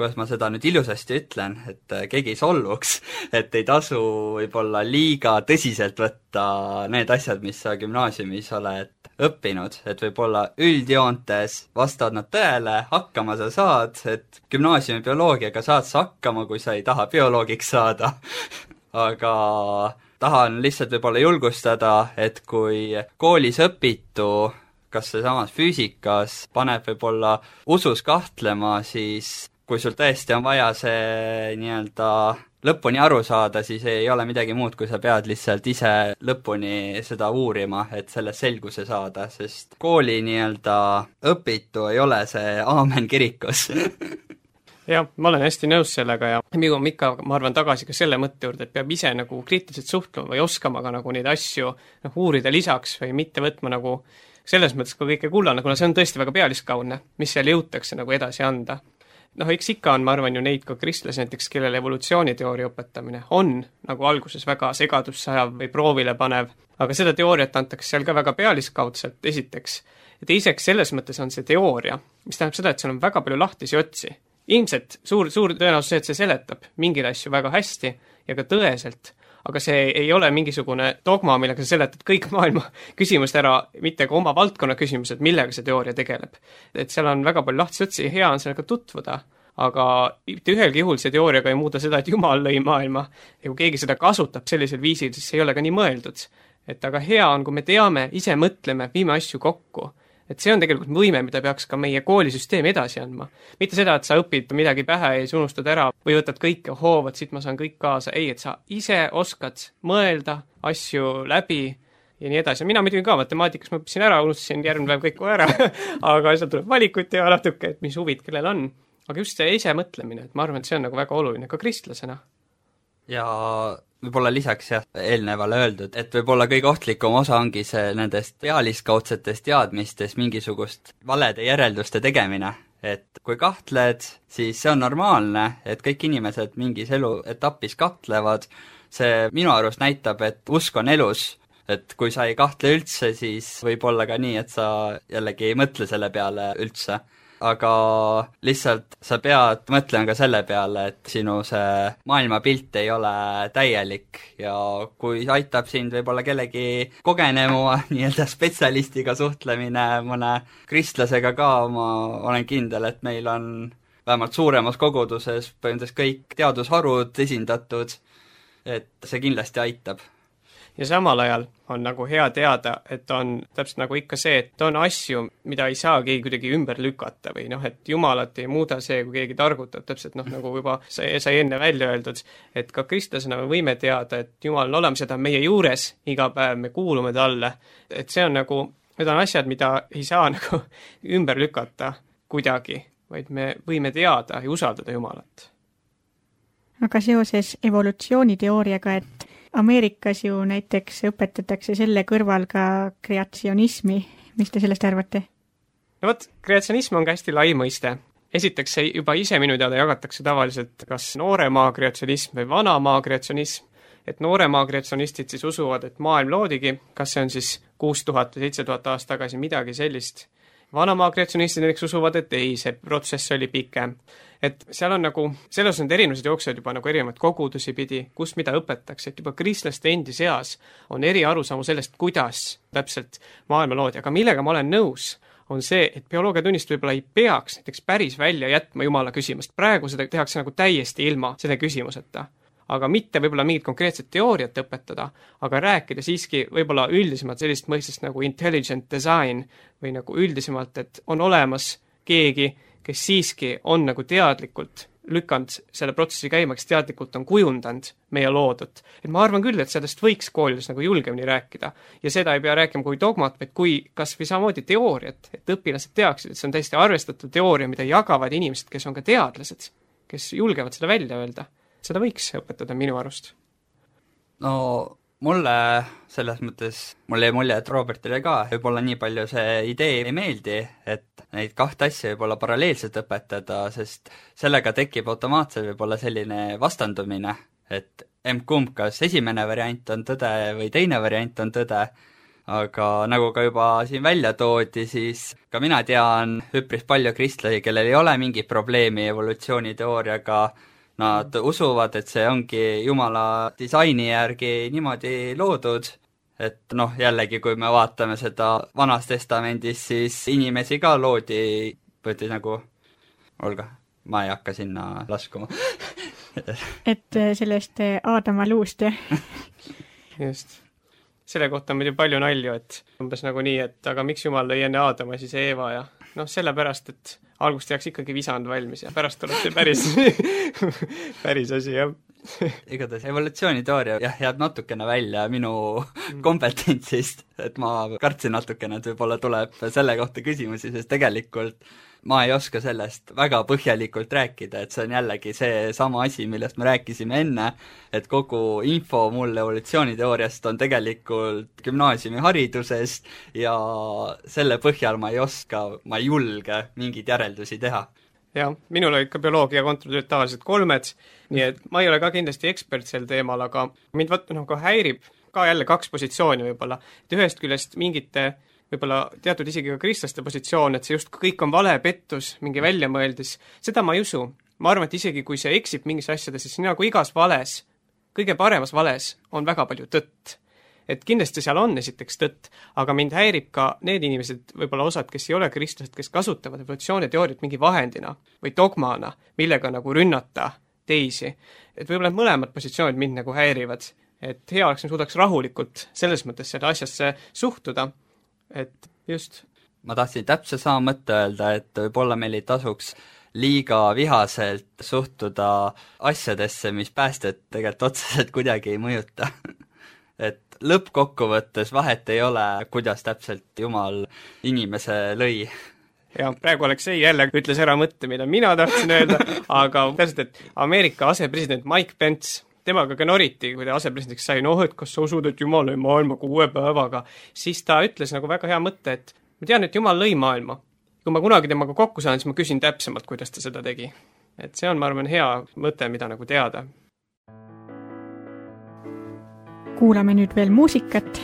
kuidas ma seda nüüd ilusasti ütlen, et keegi ei solvuks, et ei tasu võib-olla liiga tõsiselt võtta need asjad, mis sa gümnaasiumis oled õppinud, et võib-olla üldjoontes vastavad nad tõele, hakkama sa saad, et gümnaasiumi bioloogiaga saad sa hakkama, kui sa ei taha bioloogiks saada aga tahan lihtsalt võib-olla julgustada, et kui koolis õpitu kas see samas füüsikas paneb võib-olla usus kahtlema, siis kui sul tõesti on vaja see nii-öelda lõpuni aru saada, siis ei ole midagi muud, kui sa pead lihtsalt ise lõpuni seda uurima, et sellest selguse saada, sest kooli nii-öelda õpitu ei ole see aamen kirikus jah, ma olen hästi nõus sellega ja me jõuame ikka, ma arvan, tagasi ka selle mõtte juurde, et peab ise nagu kriitiliselt suhtlema või oskama ka nagu neid asju noh, uurida lisaks või mitte võtma nagu selles mõttes ka kõike kullana, kuna see on tõesti väga pealiskaudne, mis seal jõutakse nagu edasi anda. Noh, eks ikka on, ma arvan ju neid ka kristlasi näiteks, kellele evolutsiooniteooria õpetamine on nagu alguses väga segadussajav või proovile panev, aga seda teooriat antakse seal ka väga pealiskaudselt esiteks. Ja teiseks selles mõttes on see teooria, mis tähendab seda, et seal on väga palju lahtisi otsi. Ilmselt suur, suur tõenäosus see, et see seletab mingil asju väga hästi ja ka tõeselt, aga see ei ole mingisugune dogma, millega sa seletad kõik maailma küsimust ära, mitte ka oma valdkonna küsimused, millega see teooria tegeleb. Et seal on väga palju lahtisi otsi ja hea on sellega tutvuda, aga mitte ühelgi juhul see teooriaga ei muuda seda, et Jumal lõi maailma ja kui keegi seda kasutab sellisel viisil, siis see ei ole ka nii mõeldud. Et aga hea on, kui me teame, ise mõtleme, viime asju kokku. Et see on tegelikult võime, mida peaks ka meie koolisüsteem edasi andma. Mitte seda, et sa õpid midagi pähe ja siis unustad ära või võtad kõike hoovad, siit ma saan kõik kaasa. Ei, et sa ise oskad mõelda asju läbi ja nii edasi. Mina muidugi ka matemaatikas ma õppisin ära, unustasin järgmine päev kõik ära, aga seal tuleb valikuid teha natuke, et mis huvid kellel on. Aga just see ise mõtlemine, et ma arvan, et see on nagu väga oluline ka kristlasena. Ja võib-olla lisaks jah, eelnevale öeldud, et võib-olla kõige ohtlikum osa ongi see nendest pealiskaudsetest teadmistest mingisugust valede järelduste tegemine. Et kui kahtled, siis see on normaalne, et kõik inimesed mingis eluetapis kahtlevad. See minu arust näitab, et usk on elus, et kui sa ei kahtle üldse, siis võib olla ka nii, et sa jällegi ei mõtle selle peale üldse. Aga lihtsalt sa pead mõtlema ka selle peale, et sinu see maailmapilt ei ole täielik ja kui aitab sind võib-olla kellegi kogenema nii-öelda spetsialistiga suhtlemine mõne kristlasega ka, ma olen kindel, et meil on vähemalt suuremas koguduses põhimõtteliselt kõik teadusharud esindatud, et see kindlasti aitab. Ja samal ajal on nagu hea teada, et on täpselt nagu ikka see, et on asju, mida ei saa keegi kuidagi ümber lükata või noh, et Jumalat ei muuda see, kui keegi targutab, täpselt noh, nagu juba sai, sai enne välja öeldud, et ka kristlasena me võime teada, et Jumal on olemas, seda meie juures iga päev, me kuulume talle, et see on nagu, need on asjad, mida ei saa nagu ümber lükata kuidagi, vaid me võime teada ja usaldada Jumalat. Aga seoses evolutsiooniteooriaga, et Ameerikas ju näiteks õpetatakse selle kõrval ka kreatsionismi. Mis te sellest arvate? No võt, kreatsionism on ka hästi lai mõiste. Esiteks see juba ise minu teada jagatakse tavaliselt kas nooremaa kreatsionism või vanamaa kreatsionism. Et nooremaa kreatsionistid siis usuvad, et maailm loodigi, kas see on siis kuus tuhat või seitse tuhat aastat tagasi midagi sellist. Vanamaa kreatsionistid näiteks usuvad, et ei, see protsess oli pikem. Et seal on nagu, selles on erinevused jooksevad juba nagu erinevad kogudusi pidi, kus mida õpetakse, et juba kristlaste endi seas on eri arusamu sellest, kuidas täpselt maailma loodi, aga millega ma olen nõus, on see, et bioloogiatunnist võib-olla ei peaks näiteks päris välja jätma Jumala küsimust. Praegu seda tehakse nagu täiesti ilma selle küsimuseta. Aga mitte võib-olla mingit konkreetset teooriat õpetada, aga rääkida siiski võib-olla üldisemalt sellist mõistest nagu intelligent design või nagu üldisemalt, et on olemas keegi, kes siiski on nagu teadlikult lükanud selle protsessi käima, kes teadlikult on kujundanud meie loodut. Et ma arvan küll, et sellest võiks koolides nagu julgemini rääkida. Ja seda ei pea rääkima kui dogmat, vaid kui kas või samamoodi teooriat, et õpilased teaksid, et see on täiesti arvestatud teooria, mida jagavad inimesed, kes on ka teadlased, kes julgevad seda välja öelda. Seda võiks õpetada minu arust. No mulle selles mõttes, mulle jäi mulje, et Robertile ka võib-olla nii palju see idee ei meeldi, et neid kahte asja võib-olla paralleelselt õpetada, sest sellega tekib automaatselt võib-olla selline vastandumine, et emb-kumb, kas esimene variant on tõde või teine variant on tõde, aga nagu ka juba siin välja toodi, siis ka mina tean üpris palju kristlasi, kellel ei ole mingit probleemi evolutsiooniteooriaga, nad usuvad, et see ongi Jumala disaini järgi niimoodi loodud, et noh, jällegi, kui me vaatame seda Vanas Testamendis, siis inimesi ka loodi, võeti nagu, olga, ma ei hakka sinna laskuma. et sellest Aadama luust, jah? Just. Selle kohta on meil ju palju nalju, et umbes nagu nii, et aga miks Jumal lõi enne Aadama, siis Eeva ja noh, sellepärast, et algust jääks ikkagi visand valmis ja pärast tuleb see päris, päris asi, jah. Igatahes evolutsiooniteooria jah, jääb natukene välja minu kompetentsist, et ma kartsin natukene, et võib-olla tuleb selle kohta küsimusi, sest tegelikult ma ei oska sellest väga põhjalikult rääkida, et see on jällegi see sama asi, millest me rääkisime enne, et kogu info mul evolutsiooniteooriast on tegelikult gümnaasiumiharidusest ja selle põhjal ma ei oska, ma ei julge mingeid järeldusi teha. Jah, minul olid ka bioloogia kontratööd tavaliselt kolmed, nii et ma ei ole ka kindlasti ekspert sel teemal, aga mind võtta noh, ka häirib ka jälle kaks positsiooni võib-olla, et ühest küljest mingite võib-olla teatud isegi ka kristlaste positsioon, et see just kõik on vale pettus, mingi väljamõeldis, seda ma ei usu. Ma arvan, et isegi kui see eksib mingis asjades, siis nagu igas vales, kõige paremas vales on väga palju tõtt. Et kindlasti seal on esiteks tõtt, aga mind häirib ka need inimesed, võib-olla osad, kes ei ole kristlased, kes kasutavad evolutsiooniteooriat mingi vahendina või dogmana, millega nagu rünnata teisi. Et võib-olla mõlemad positsioonid mind nagu häirivad, et hea oleks, me suudaks rahulikult selles mõttes seda asjasse suhtuda, et just. Ma tahtsin täpselt sama mõtte öelda, et võib-olla meil ei tasuks liiga vihaselt suhtuda asjadesse, mis päästet tegelikult otseselt kuidagi ei mõjuta. Et lõppkokkuvõttes vahet ei ole, kuidas täpselt Jumal inimese lõi. Ja praegu Aleksei jälle ütles ära mõtte, mida mina tahtsin öelda, aga täpselt, et Ameerika asepresident Mike Pence, temaga ka noriti, kui ta asepresidendiks sai, noh, et kas sa usud, et Jumal lõi maailma kuue päevaga, siis ta ütles nagu väga hea mõtte, et ma tean, et Jumal lõi maailma. Kui ma kunagi temaga kokku saan, siis ma küsin täpsemalt, kuidas ta seda tegi. Et see on, ma arvan, hea mõte, mida nagu teada. Kuulame nüüd veel muusikat.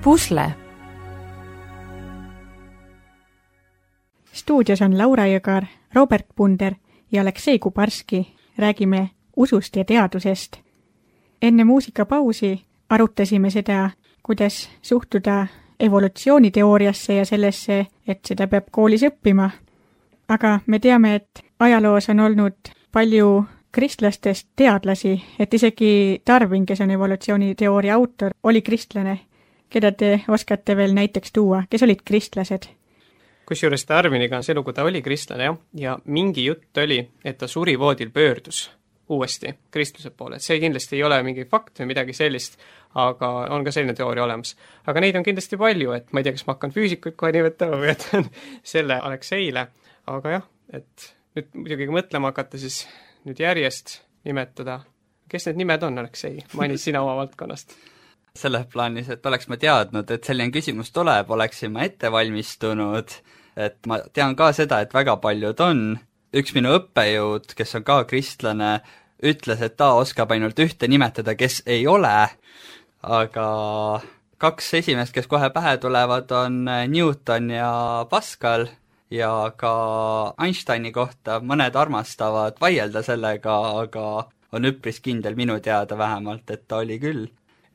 Pusle. Stuudios on Laura Jõgar, Robert Punder ja Aleksei Kubarski. Räägime usust ja teadusest. Enne muusikapausi arutasime seda, kuidas suhtuda evolutsiooniteooriasse ja sellesse, et seda peab koolis õppima. Aga me teame, et ajaloos on olnud palju kristlastest teadlasi, et isegi Darwin, kes on evolutsiooniteooria autor, oli kristlane. Keda te oskate veel näiteks tuua, kes olid kristlased? Kusjuures Darwiniga on see lugu, ta oli kristlane, jah, ja mingi jutt oli, et ta surivoodil pöördus uuesti kristluse poole, et see kindlasti ei ole mingi fakt või midagi sellist, aga on ka selline teooria olemas. Aga neid on kindlasti palju, et ma ei tea, kas ma hakkan füüsikuid kohe nimetama või jätan selle Alekseile, aga jah, et nüüd muidugi kui mõtlema hakata, siis nüüd järjest nimetada. Kes need nimed on, Aleksei? Mainis sina oma valdkonnast. Selles plaanis, et oleks ma teadnud, et selline küsimus tuleb, oleksin ma ette valmistunud, et ma tean ka seda, et väga paljud on. Üks minu õppejõud, kes on ka kristlane, ütles, et ta oskab ainult ühte nimetada, kes ei ole, aga kaks esimest, kes kohe pähe tulevad, on Newton ja Pascal ja ka Einsteini kohta mõned armastavad vaielda sellega, aga on üpris kindel minu teada vähemalt, et ta oli küll.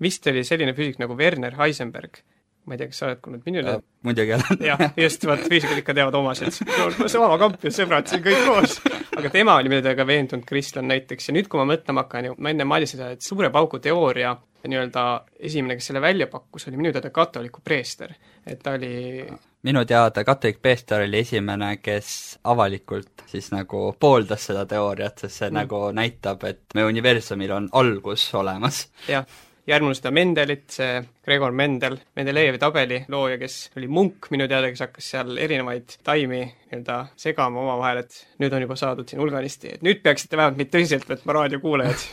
Vist oli selline füüsik nagu Werner Heisenberg. Ma ei tea, kas sa oled kuulnud minu üle? Muidugi olen. Jah, just, vaat füüsikad ikka teavad omasid. See oma kamp ja sõbrad siin kõik koos. Aga tema oli midagi veendunud kristlan näiteks. Ja nüüd, kui ma mõtlema hakkan, ma enne maalisin seda, et suure paugu teooria nii-öelda esimene, kes selle välja pakkus, oli minu teada katoliku preester. Et ta oli... Minu teada katolik preester oli esimene, kes avalikult siis nagu pooldas seda teooriat, sest see mm. nagu näitab, et meie universumil on algus olemas. Jah. Järgmine seda Mendelit, see Gregor Mendel, Mendelejevi tabeli looja, kes oli munk minu teada, kes hakkas seal erinevaid taimi nii-öelda segama oma vahel, et nüüd on juba saadud siin hulganisti, et nüüd peaksite vähemalt meid tõsiselt võtma raadiokuulajad.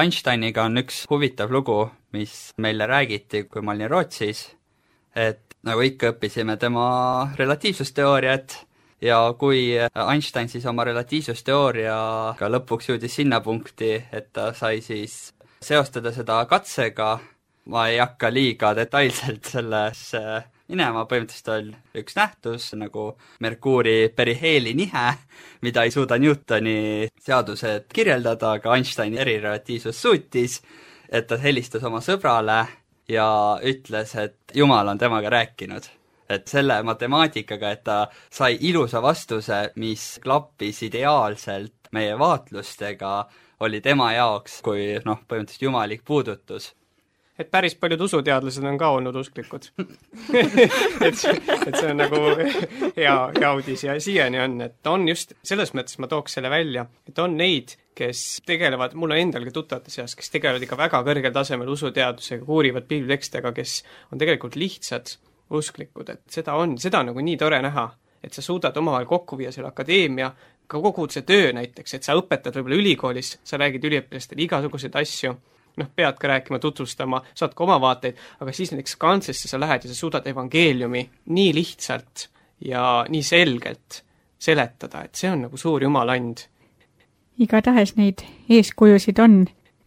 Einsteiniga on üks huvitav lugu, mis meile räägiti, kui ma olin Rootsis, et nagu ikka õppisime tema relatiivsusteooriat ja kui Einstein siis oma relatiivsusteooriaga lõpuks jõudis sinna punkti, et ta sai siis seostada seda katsega, ma ei hakka liiga detailselt sellesse minema, põhimõtteliselt on üks nähtus nagu Merkuuri periheeli nihe, mida ei suuda Newtoni seadused kirjeldada, aga Einsteini erirelatiivsus suutis, et ta helistas oma sõbrale ja ütles, et Jumal on temaga rääkinud. Et selle matemaatikaga, et ta sai ilusa vastuse, mis klappis ideaalselt meie vaatlustega, oli tema jaoks kui noh, põhimõtteliselt jumalik puudutus. Et päris paljud usuteadlased on ka olnud usklikud. et, et see on nagu hea, hea uudis ja siiani on, et on just, selles mõttes ma tooks selle välja, et on neid, kes tegelevad, mul on endalgi tuttavate seas, kes tegelevad ikka väga kõrgel tasemel usuteadusega, uurivad piiblitekstega, kes on tegelikult lihtsad usklikud, et seda on, seda on nagu nii tore näha, et sa suudad omavahel kokku viia selle akadeemia, ka kogu see töö näiteks, et sa õpetad võib-olla ülikoolis, sa räägid üliõpilastele igasuguseid asju, noh, pead ka rääkima, tutvustama, saad ka oma vaateid, aga siis näiteks kantsesse sa lähed ja sa suudad evangeeliumi nii lihtsalt ja nii selgelt seletada, et see on nagu suur jumaland. Igatahes neid eeskujusid on,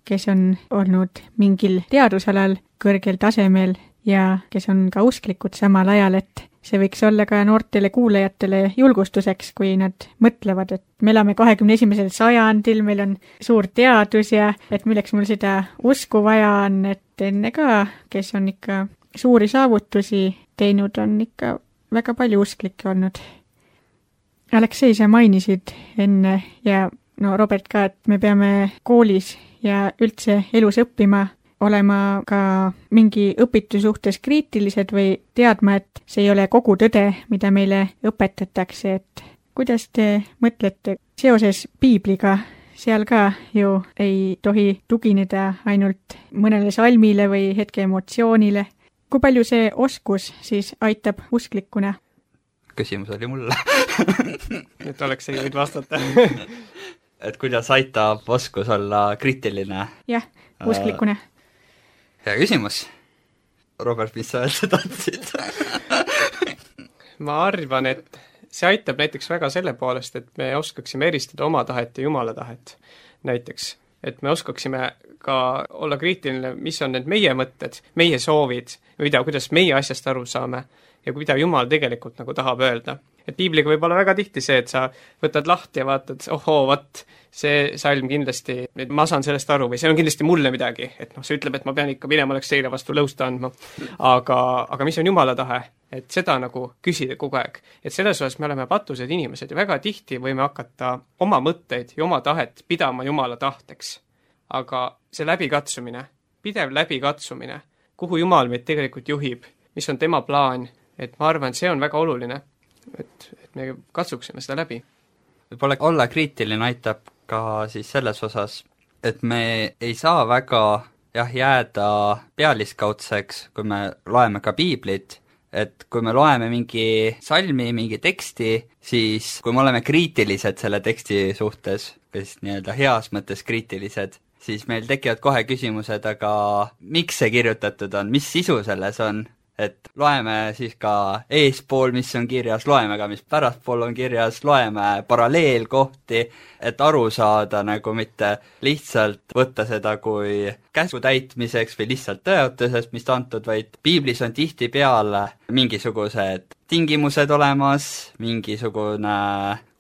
kes on olnud mingil teadusalal kõrgel tasemel ja kes on ka usklikud samal ajal, et see võiks olla ka noortele kuulajatele julgustuseks, kui nad mõtlevad, et me elame kahekümne esimesel sajandil, meil on suur teadus ja et milleks mul seda usku vaja on, et enne ka, kes on ikka suuri saavutusi teinud, on ikka väga palju usklikke olnud. Aleksei, sa mainisid enne ja no Robert ka, et me peame koolis ja üldse elus õppima, olema ka mingi õpitu suhtes kriitilised või teadma, et see ei ole kogu tõde, mida meile õpetatakse, et kuidas te mõtlete seoses piibliga, seal ka ju ei tohi tugineda ainult mõnele salmile või hetke emotsioonile. Kui palju see oskus siis aitab usklikuna? Küsimus oli mulle. et oleks ei võid vastata. et kuidas aitab oskus olla kriitiline? Jah, usklikuna. Hea küsimus. Robert, mis sa öelda tahtsid? ma arvan, et see aitab näiteks väga selle poolest, et me oskaksime eristada oma tahet ja Jumala tahet. Näiteks, et me oskaksime ka olla kriitiline, mis on need meie mõtted, meie soovid, mida, kuidas meie asjast aru saame ja mida Jumal tegelikult nagu tahab öelda. Et piibliga võib olla väga tihti see, et sa võtad lahti ja vaatad, ohoo, vat, see salm kindlasti, ma saan sellest aru või see on kindlasti mulle midagi, et noh, see ütleb, et ma pean ikka minema Alekseile vastu lõusta andma. Aga, aga mis on Jumala tahe? et seda nagu küsida kogu aeg. Et selles osas me oleme patused inimesed ja väga tihti võime hakata oma mõtteid ja oma tahet pidama Jumala tahteks. Aga see läbikatsumine, pidev läbikatsumine, kuhu Jumal meid tegelikult juhib, mis on tema plaan, et ma arvan, see on väga oluline, et, et me katsuksime seda läbi. Võib-olla olla kriitiline aitab ka siis selles osas, et me ei saa väga jah, jääda pealiskaudseks, kui me loeme ka piiblit, et kui me loeme mingi salmi, mingi teksti, siis kui me oleme kriitilised selle teksti suhtes, kes nii-öelda heas mõttes kriitilised, siis meil tekivad kohe küsimused, aga miks see kirjutatud on, mis sisu selles on? Et loeme siis ka eespool, mis on kirjas, loeme ka, mis pärastpool on kirjas, loeme paralleelkohti, et aru saada nagu mitte lihtsalt võtta seda kui käsu täitmiseks või lihtsalt tõotusest, mis ta antud, vaid piiblis on tihtipeale mingisugused tingimused olemas, mingisugune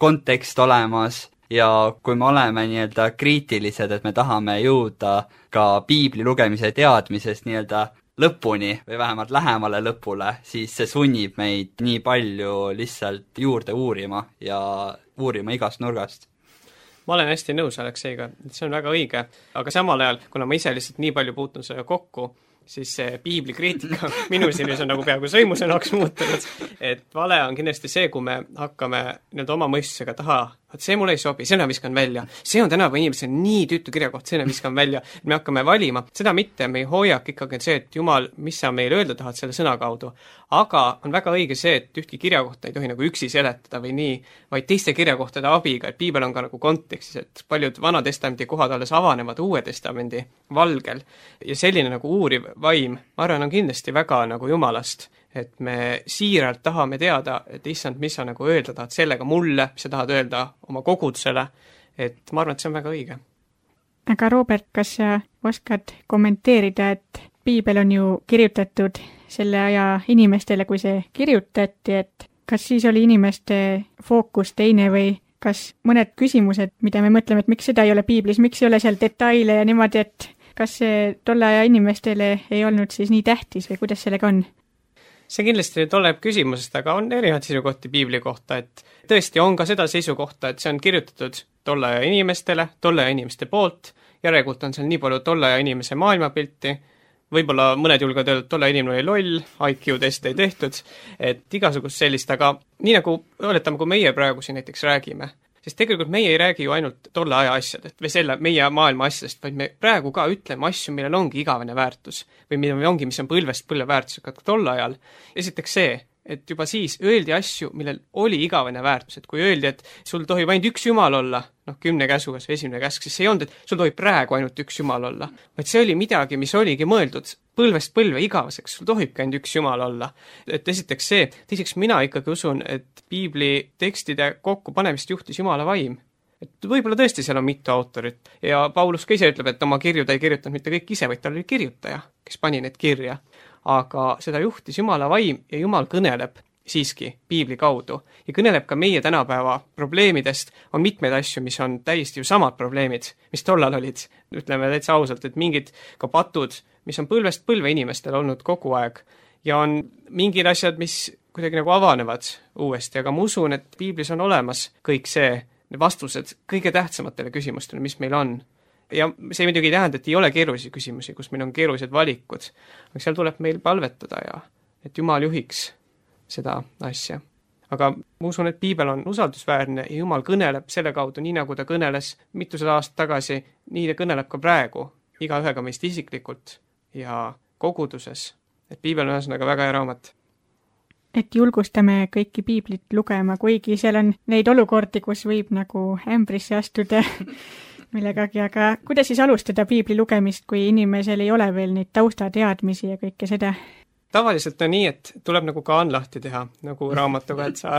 kontekst olemas, ja kui me oleme nii-öelda kriitilised, et me tahame jõuda ka piibli lugemise teadmisest nii-öelda lõpuni või vähemalt lähemale lõpule, siis see sunnib meid nii palju lihtsalt juurde uurima ja uurima igast nurgast. Ma olen hästi nõus Alekseiga, see on väga õige, aga samal ajal, kuna ma ise lihtsalt nii palju puutun selle kokku, siis see piiblikriitika minu silmis on nagu peaaegu sõimusõnaks muutunud, et vale on kindlasti see, kui me hakkame nüüd oma mõistusega taha, et see mulle ei sobi, selle viskan välja, see on tänapäeva inimesel nii tüütu kirjakoht, selle viskan välja, et me hakkame valima, seda mitte, me hoiak ikkagi on see, et Jumal, mis sa meile öelda tahad selle sõna kaudu, aga on väga õige see, et ühtki kirjakohta ei tohi nagu üksi seletada või nii, vaid teiste kirjakohtade abiga, et piibel on ka nagu kontekstis, et paljud Vana-testamendi kohad alles avanevad Uue testamendi valgel ja selline nagu uuriv vaim, ma arvan, on kindlasti väga nagu Jumalast, et me siiralt tahame teada, et issand, mis sa nagu öelda tahad sellega mulle, mis sa tahad öelda oma kogudusele, et ma arvan, et see on väga õige. Aga Robert, kas sa oskad kommenteerida, et piibel on ju kirjutatud selle aja inimestele, kui see kirjutati, et kas siis oli inimeste fookus teine või kas mõned küsimused, mida me mõtleme, et miks seda ei ole piiblis, miks ei ole seal detaile ja niimoodi, et kas see tolle aja inimestele ei olnud siis nii tähtis või kuidas sellega on? See kindlasti nüüd oleneb küsimusest, aga on erinevaid seisukohti piibli kohta, et tõesti on ka seda seisukohta, et see on kirjutatud tolle aja inimestele, tolle aja inimeste poolt, järelikult on seal nii palju tolle aja inimese maailmapilti, võib-olla mõned julgevad öelda, et tolle inimene oli loll, I Q-teste ei tehtud, et igasugust sellist, aga nii nagu oletame, kui meie praegu siin näiteks räägime, sest tegelikult meie ei räägi ju ainult tolle aja asjadest või selle meie maailma asjadest, vaid me praegu ka ütleme asju, millel ongi igavene väärtus või millel ongi, mis on põlvest põlve väärtusega tolle ajal. Esiteks see, et juba siis öeldi asju, millel oli igavene väärtus, et kui öeldi, et sul tohib ainult üks Jumal olla, noh, kümne käsugas või esimene käsk, siis see ei olnud, et sul tohib praegu ainult üks Jumal olla, vaid see oli midagi, mis oligi mõeldud põlvest põlve igaveseks, sul tohibki ainult üks Jumal olla. Et esiteks see, teiseks mina ikkagi usun, et piibli tekstide kokkupanemist juhtis Jumala vaim. Et võib-olla tõesti seal on mitu autorit ja Paulus ka ise ütleb, et oma kirju ta ei kirjutanud mitte kõik ise, vaid tal oli kirjutaja, kes pani need kirja. Aga seda juhtis Jumala vaim ja Jumal kõneleb siiski piibli kaudu ja kõneleb ka meie tänapäeva probleemidest, on mitmeid asju, mis on täiesti ju samad probleemid, mis tollal olid, ütleme täitsa ausalt, et mingid ka patud, mis on põlvest põlve inimestel olnud kogu aeg ja on mingid asjad, mis kuidagi nagu avanevad uuesti, aga ma usun, et piiblis on olemas kõik see, vastused kõige tähtsamatele küsimustele, mis meil on. Ja see muidugi ei tähenda, et ei ole keerulisi küsimusi, kus meil on keerulised valikud, aga seal tuleb meil palvetada ja et Jumal juhiks seda asja. Aga ma usun, et piibel on usaldusväärne ja Jumal kõneleb selle kaudu, nii nagu ta kõneles mitusada aastat tagasi, nii ta kõneleb ka praegu, igaühega meist isiklikult ja koguduses. Et piibel on ühesõnaga väga hea raamat. Et julgustame kõiki piiblit lugema, kuigi seal on neid olukordi, kus võib nagu ämbrisse astuda millegagi, aga kuidas siis alustada piibli lugemist, kui inimesel ei ole veel neid taustateadmisi ja kõike seda? Tavaliselt on nii, et tuleb nagu kaan lahti teha, nagu raamatuga, et sa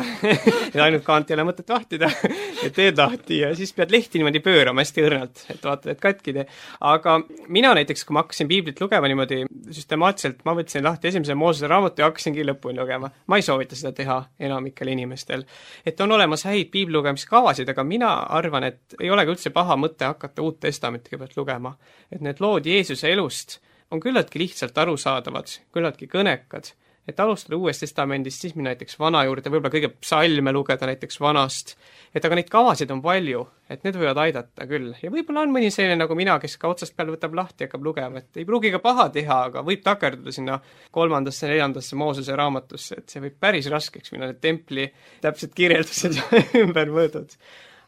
ja ainult kaant ei ole mõtet vahtida ja teed lahti ja siis pead lehti niimoodi pöörama hästi õrnalt, et vaatad, et katki tee. Aga mina näiteks, kui ma hakkasin piiblit lugema niimoodi süstemaatiliselt, ma võtsin lahti esimese Moosese raamatu ja hakkasingi lõpuni lugema. Ma ei soovita seda teha enamikel inimestel. Et on olemas häid piibli lugemiskavasid, aga mina arvan, et ei olegi üldse paha mõte hakata Uut Testamenti kõigepealt lugema. Et need lood Jeesuse elust on küllaltki lihtsalt arusaadavad, küllaltki kõnekad, et alustada Uuest Testamendist, siis minna näiteks vana juurde, võib-olla kõige psalme lugeda näiteks vanast, et aga neid kavasid on palju, et need võivad aidata küll. Ja võib-olla on mõni selline nagu mina, kes ka otsast peale võtab lahti ja hakkab lugema, et ei pruugi ka paha teha, aga võib takerduda sinna kolmandasse, neljandasse Moosese raamatusse, et see võib päris raskeks minna, need templi täpselt kirjeldused ümber mõõdud.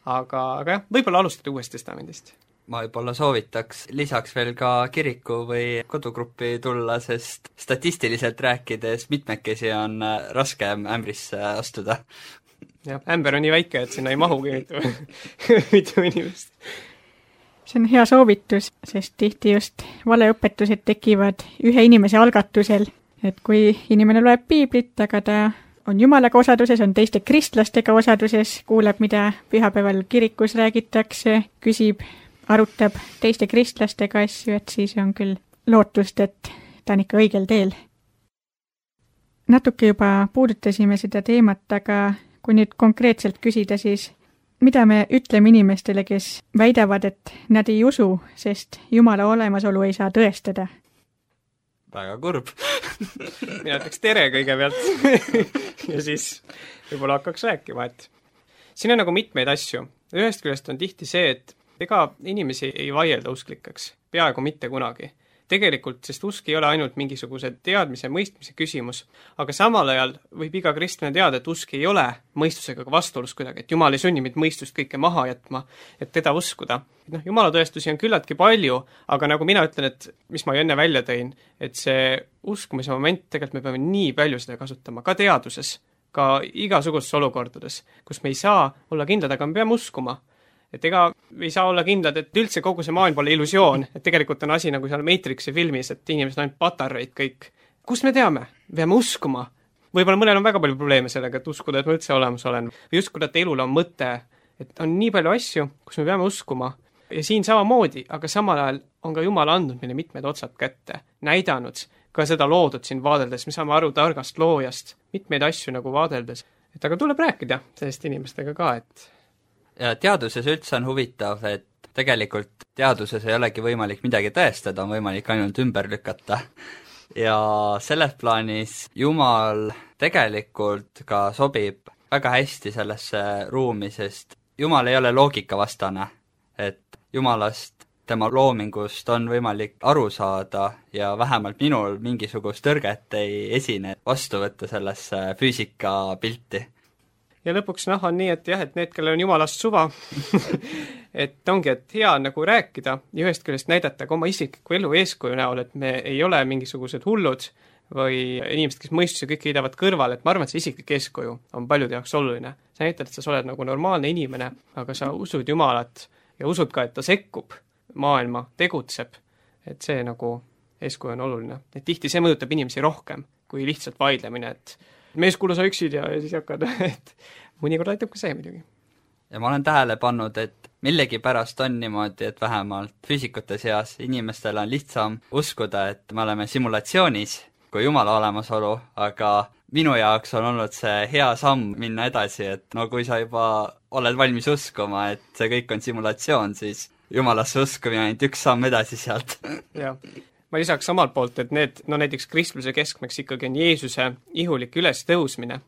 Aga, aga jah, võib-olla alustada Uuest Testamendist. Ma võib-olla soovitaks lisaks veel ka kiriku või kodugruppi tulla, sest statistiliselt rääkides mitmekesi on raskem ämbrisse astuda. Jah, ämber on nii väike, et sinna ei mahugi mitu, mitu inimest. See on hea soovitus, sest tihti just valeõpetused tekivad ühe inimese algatusel, et kui inimene loeb piiblit, aga ta on jumalaga osaduses, on teiste kristlastega osaduses, kuuleb, mida pühapäeval kirikus räägitakse, küsib, arutab teiste kristlastega asju, et siis on küll lootust, et ta on ikka õigel teel. Natuke juba puudutasime seda teemat, aga kui nüüd konkreetselt küsida, siis mida me ütleme inimestele, kes väidavad, et nad ei usu, sest Jumala olemasolu ei saa tõestada? Väga kurb. Mina ütleks tere kõigepealt ja siis võib-olla hakkaks rääkima, et siin on nagu mitmeid asju. Ühest küljest on tihti see, et ega inimesi ei vaielda usklikeks, peaaegu mitte kunagi. Tegelikult, sest usk ei ole ainult mingisuguse teadmise, mõistmise küsimus, aga samal ajal võib iga kristlane teada, et usk ei ole mõistusega vastuolus kuidagi, et Jumal ei sunni meid mõistust kõike maha jätma, et teda uskuda. No, Jumala tõestusi on küllaltki palju, aga nagu mina ütlen, et mis ma enne välja tõin, et see uskumise moment, tegelikult me peame nii palju seda kasutama, ka teaduses, ka igasugustes olukordades, kus me ei saa olla kindlad, aga me peame uskuma. Et ega ei saa olla kindlad, et üldse kogu see maailm pole illusioon, et tegelikult on asi nagu seal Matrixi filmis, et inimesed on ainult patareid kõik. Kust me teame? Peame uskuma. Võib-olla mõnel on väga palju probleeme sellega, et uskuda, et ma üldse olemas olen. Või uskuda, et elul on mõte. Et on nii palju asju, kus me peame uskuma. Ja siin samamoodi, aga samal ajal on ka Jumal andnud meile mitmed otsad kätte. Näidanud ka seda loodud siin vaadeldes. Me saame aru targast loojast. Mitmeid asju nagu vaadeldes. Et aga tuleb rääkida sellest inimestega ka, et ja teaduses üldse on huvitav, et tegelikult teaduses ei olegi võimalik midagi tõestada, on võimalik ainult ümber lükata. Ja selles plaanis Jumal tegelikult ka sobib väga hästi sellesse ruumi, sest Jumal ei ole loogikavastane, et Jumalast, tema loomingust on võimalik aru saada ja vähemalt minul mingisugust tõrget ei esine vastu võtta sellesse füüsikapilti. Ja lõpuks noh on nii, et jah, et need, kellel on Jumalast suva, et ongi, et hea nagu rääkida ja ühest küljest näidata ka oma isikliku elu eeskuju näol, et me ei ole mingisugused hullud või inimesed, kes mõistuse kõik heidavad kõrval, et ma arvan, et see isiklik eeskuju on paljude jaoks oluline. Sa näitad, et sa oled nagu normaalne inimene, aga sa usud Jumalat ja usud ka, et ta sekkub maailma, tegutseb, et see nagu eeskuju on oluline. Et tihti see mõjutab inimesi rohkem kui lihtsalt vaidlemine, et mees, kuule sa üksid ja, ja siis hakkad, et mõnikord aitab ka see muidugi. Ja ma olen tähele pannud, et millegipärast on niimoodi, et vähemalt füüsikute seas inimestel on lihtsam uskuda, et me oleme simulatsioonis kui Jumala olemasolu, aga minu jaoks on olnud see hea samm minna edasi, et no kui sa juba oled valmis uskuma, et see kõik on simulatsioon, siis Jumalasse uskumine ainult üks samm edasi sealt. Jah. Ma lisaks samalt poolt, et need, no näiteks kristluse keskmeks ikkagi on Jeesuse ihulik üles tõusmine.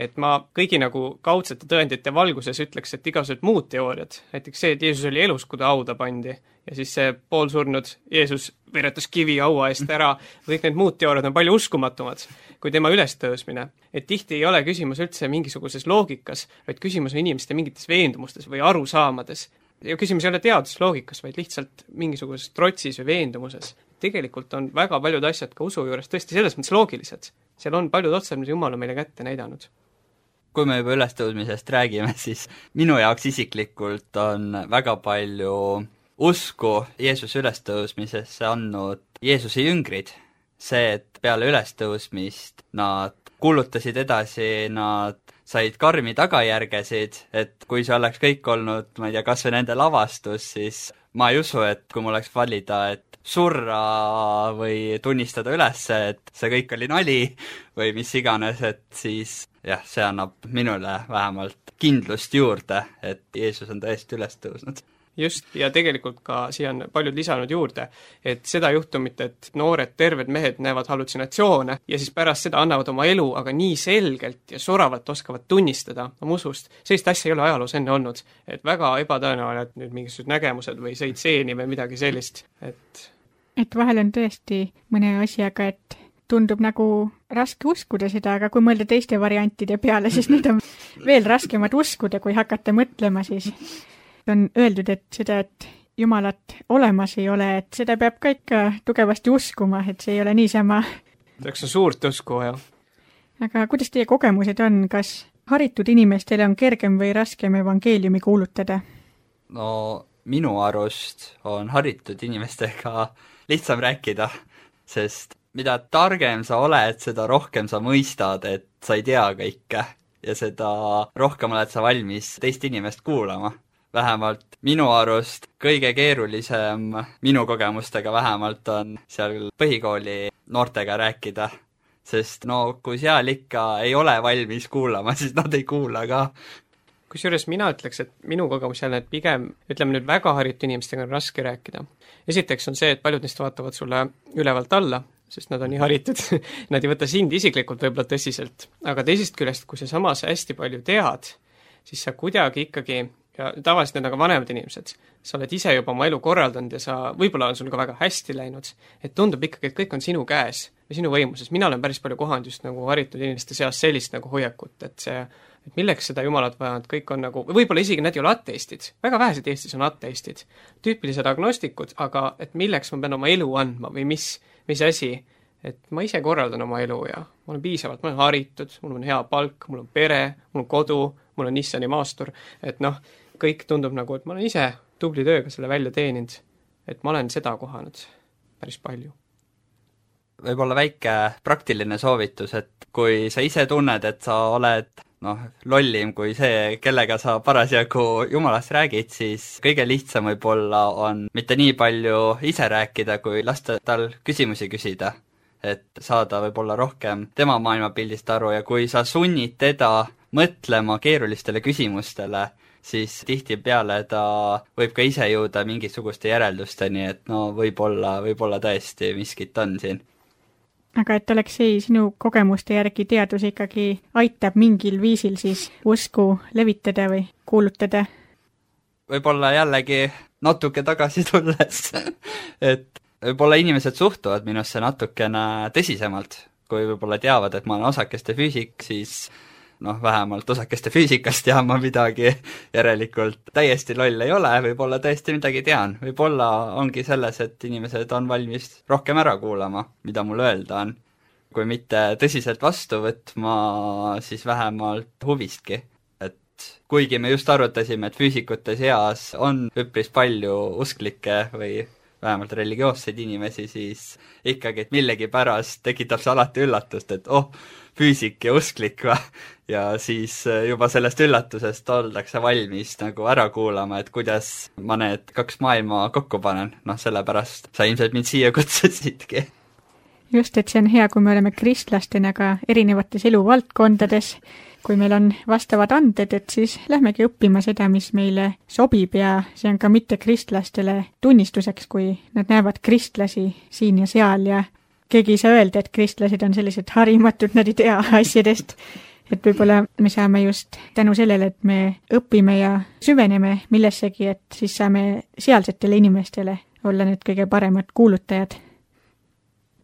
Et ma kõigi nagu kaudsete tõendite valguses ütleks, et igasugused muud teooriad, näiteks see, et Jeesus oli elus, kui ta hauda pandi, ja siis see poolsurnud Jeesus veretas kivi haua eest ära, kõik need muud teooriad on palju uskumatumad kui tema ülestõusmine. Et tihti ei ole küsimus üldse mingisuguses loogikas, vaid küsimus on inimeste mingites veendumustes või arusaamades. Ja küsimus ei ole teadusloogikas, vaid lihtsalt mingisuguses trotsis või veendumuses. Tegelikult on väga paljud asjad ka usu juures tõesti selles mõttes loogilised. Seal on paljud otsad, mis Jumal on meile kätte näidanud. Kui me juba ülestõusmisest räägime, siis minu jaoks isiklikult on väga palju usku Jeesuse ülestõusmisesse andnud Jeesuse jüngrid. See, et peale ülestõusmist nad kuulutasid edasi, nad said karmi tagajärgesid, et kui see oleks kõik olnud, ma ei tea, kas või nende lavastus, siis ma ei usu, et kui mul oleks valida, et surra või tunnistada üles, et see kõik oli nali või mis iganes, et siis jah, see annab minule vähemalt kindlust juurde, et Jeesus on tõesti üles tõusnud. just, ja tegelikult ka siia on paljud lisanud juurde, et seda juhtumit, et noored terved mehed näevad hallutsinatsioone ja siis pärast seda annavad oma elu, aga nii selgelt ja soravalt oskavad tunnistada oma usust, sellist asja ei ole ajaloos enne olnud. Et väga ebatõenäoline, et nüüd mingisugused nägemused või sõid seeni või midagi sellist, et et vahel on tõesti mõne asjaga, et tundub nagu raske uskuda seda, aga kui mõelda teiste variantide peale, siis need on veel raskemad uskuda, kui hakata mõtlema, siis on öeldud, et seda, et Jumalat olemas ei ole, et seda peab ka ikka tugevasti uskuma, et see ei ole niisama. Selleks on suurt usku, jah. Aga kuidas teie kogemused on, kas haritud inimestele on kergem või raskem evangeeliumi kuulutada? No minu arust on haritud inimestega lihtsam rääkida, sest mida targem sa oled, seda rohkem sa mõistad, et sa ei tea kõike ja seda rohkem oled sa valmis teist inimest kuulama. Vähemalt minu arust kõige keerulisem minu kogemustega vähemalt on seal põhikooli noortega rääkida, sest no kui seal ikka ei ole valmis kuulama, siis nad ei kuula ka. Kusjuures mina ütleks, et minu kogemus jälle, et pigem, ütleme nüüd väga haritud inimestega on raske rääkida. Esiteks on see, et paljud neist vaatavad sulle ülevalt alla, sest nad on nii haritud, nad ei võta sind isiklikult võib-olla tõsiselt. Aga teisest küljest, kui sa samas hästi palju tead, siis sa kuidagi ikkagi, ja tavaliselt need on ka vanemad inimesed, sa oled ise juba oma elu korraldanud ja sa, võib-olla on sul ka väga hästi läinud, et tundub ikkagi, et kõik on sinu käes või sinu võimuses. Mina olen päris palju kohanud just nagu haritud inimeste seas sellist nagu hoiakut, et see, et milleks seda Jumalat vaja, et kõik on nagu, võib-olla isegi nad ei ole ateistid, väga vähesed Eestis on ateistid, tüüpilised agnostikud, aga et milleks ma pean oma elu andma või mis, mis asi, et ma ise korraldan oma elu ja ma olen piisavalt, ma olen haritud, mul on hea palk, mul on pere, mul on kodu, mul on Nissani maastur, et noh, kõik tundub nagu, et ma olen ise tubli tööga selle välja teeninud, et ma olen seda kohanud päris palju. Võib-olla väike praktiline soovitus, et kui sa ise tunned, et sa oled noh, lollim kui see, kellega sa parasjagu Jumalast räägid, siis kõige lihtsam võib-olla on mitte nii palju ise rääkida, kui lasta tal küsimusi küsida, et saada võib-olla rohkem tema maailmapildist aru ja kui sa sunnid teda mõtlema keerulistele küsimustele, siis tihtipeale ta võib ka ise jõuda mingisuguste järeldusteni, et no võib-olla, võib-olla tõesti miskit on siin. Aga et Aleksei, sinu kogemuste järgi teadus ikkagi aitab mingil viisil siis usku levitada või kuulutada? Võib-olla jällegi natuke tagasi tulles, et võib-olla inimesed suhtuvad minusse natukene tõsisemalt, kui võib-olla teavad, et ma olen osakeste füüsik, siis noh, vähemalt osakeste füüsikast tean ma midagi, järelikult täiesti loll ei ole, võib-olla tõesti midagi tean. Võib-olla ongi selles, et inimesed on valmis rohkem ära kuulama, mida mul öelda on. Kui mitte tõsiselt vastu võtma, siis vähemalt huvistki. Et kuigi me just arutasime, et füüsikute seas on üpris palju usklikke või vähemalt religioosseid inimesi, siis ikkagi, et millegi pärast tekitab see alati üllatust, et oh, füüsik ja usklik va? Ja siis juba sellest üllatusest oldakse valmis nagu ära kuulama, et kuidas ma need kaks maailma kokku panen. Noh, sellepärast sa ilmselt mind siia kutsusidki. Just, et see on hea, kui me oleme kristlastena ka erinevates eluvaldkondades, kui meil on vastavad anded, et siis lähmegi õppima seda, mis meile sobib ja see on ka mitte kristlastele tunnistuseks, kui nad näevad kristlasi siin ja seal ja keegi ei saa öelda, et kristlased on sellised harimatud, nad ei tea asjadest. Et võib-olla me saame just tänu sellele, et me õpime ja süveneme millessegi, et siis saame sealsetele inimestele olla need kõige paremad kuulutajad.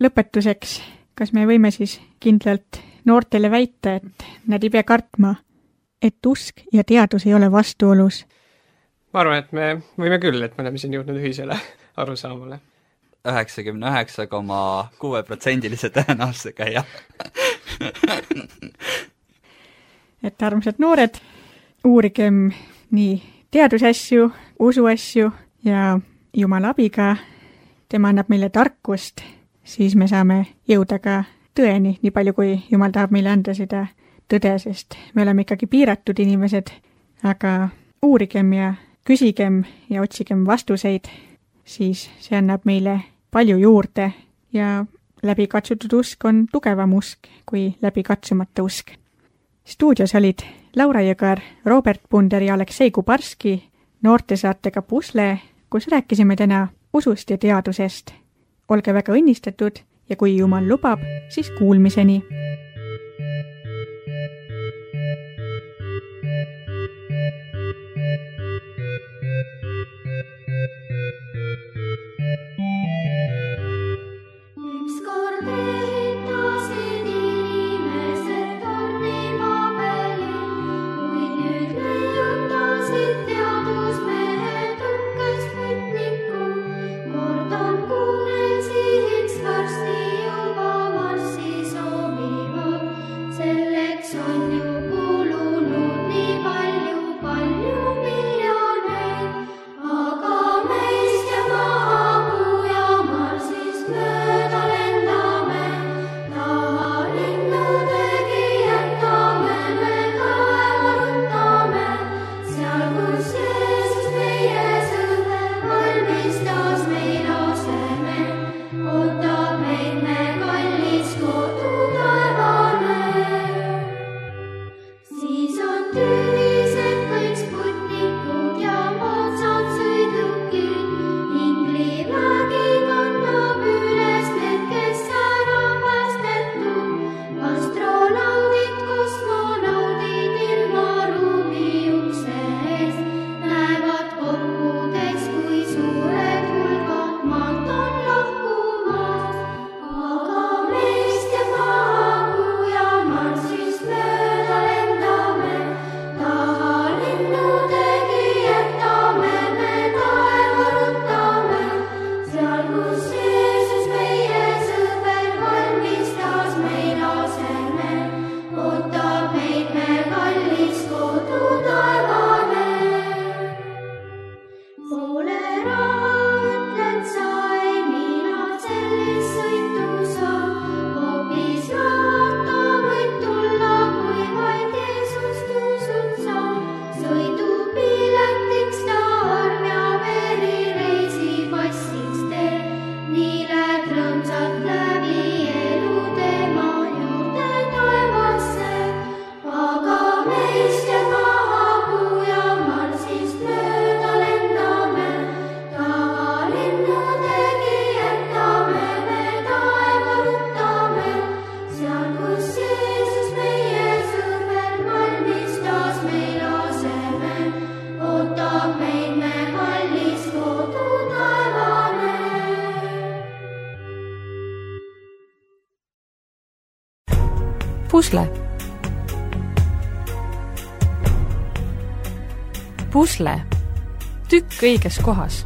Lõpetuseks, kas me võime siis kindlalt noortele väita, et nad ei pea kartma, et usk ja teadus ei ole vastuolus? Ma arvan, et me võime küll, et me oleme siin jõudnud ühisele arusaamale. üheksakümne üheksa koma kuus protsendilise tõenäosusega, jah. Et armsad noored, uurigem nii teadusasju, usuasju ja Jumala abiga, tema annab meile tarkust, siis me saame jõuda ka tõeni, nii palju kui Jumal tahab meile anda seda tõde, sest me oleme ikkagi piiratud inimesed, aga uurigem ja küsigem ja otsigem vastuseid, siis see annab meile palju juurde ja läbi katsutud usk on tugevam usk kui läbi katsumata usk. Stuudios olid Laura Jõgar, Robert Punder ja Aleksei Kubarski noortesaatega Pusle, kus rääkisime täna usust ja teadusest. Olge väga õnnistatud ja kui Jumal lubab, siis kuulmiseni. Pusle. Pusle. Tükk õiges kohas.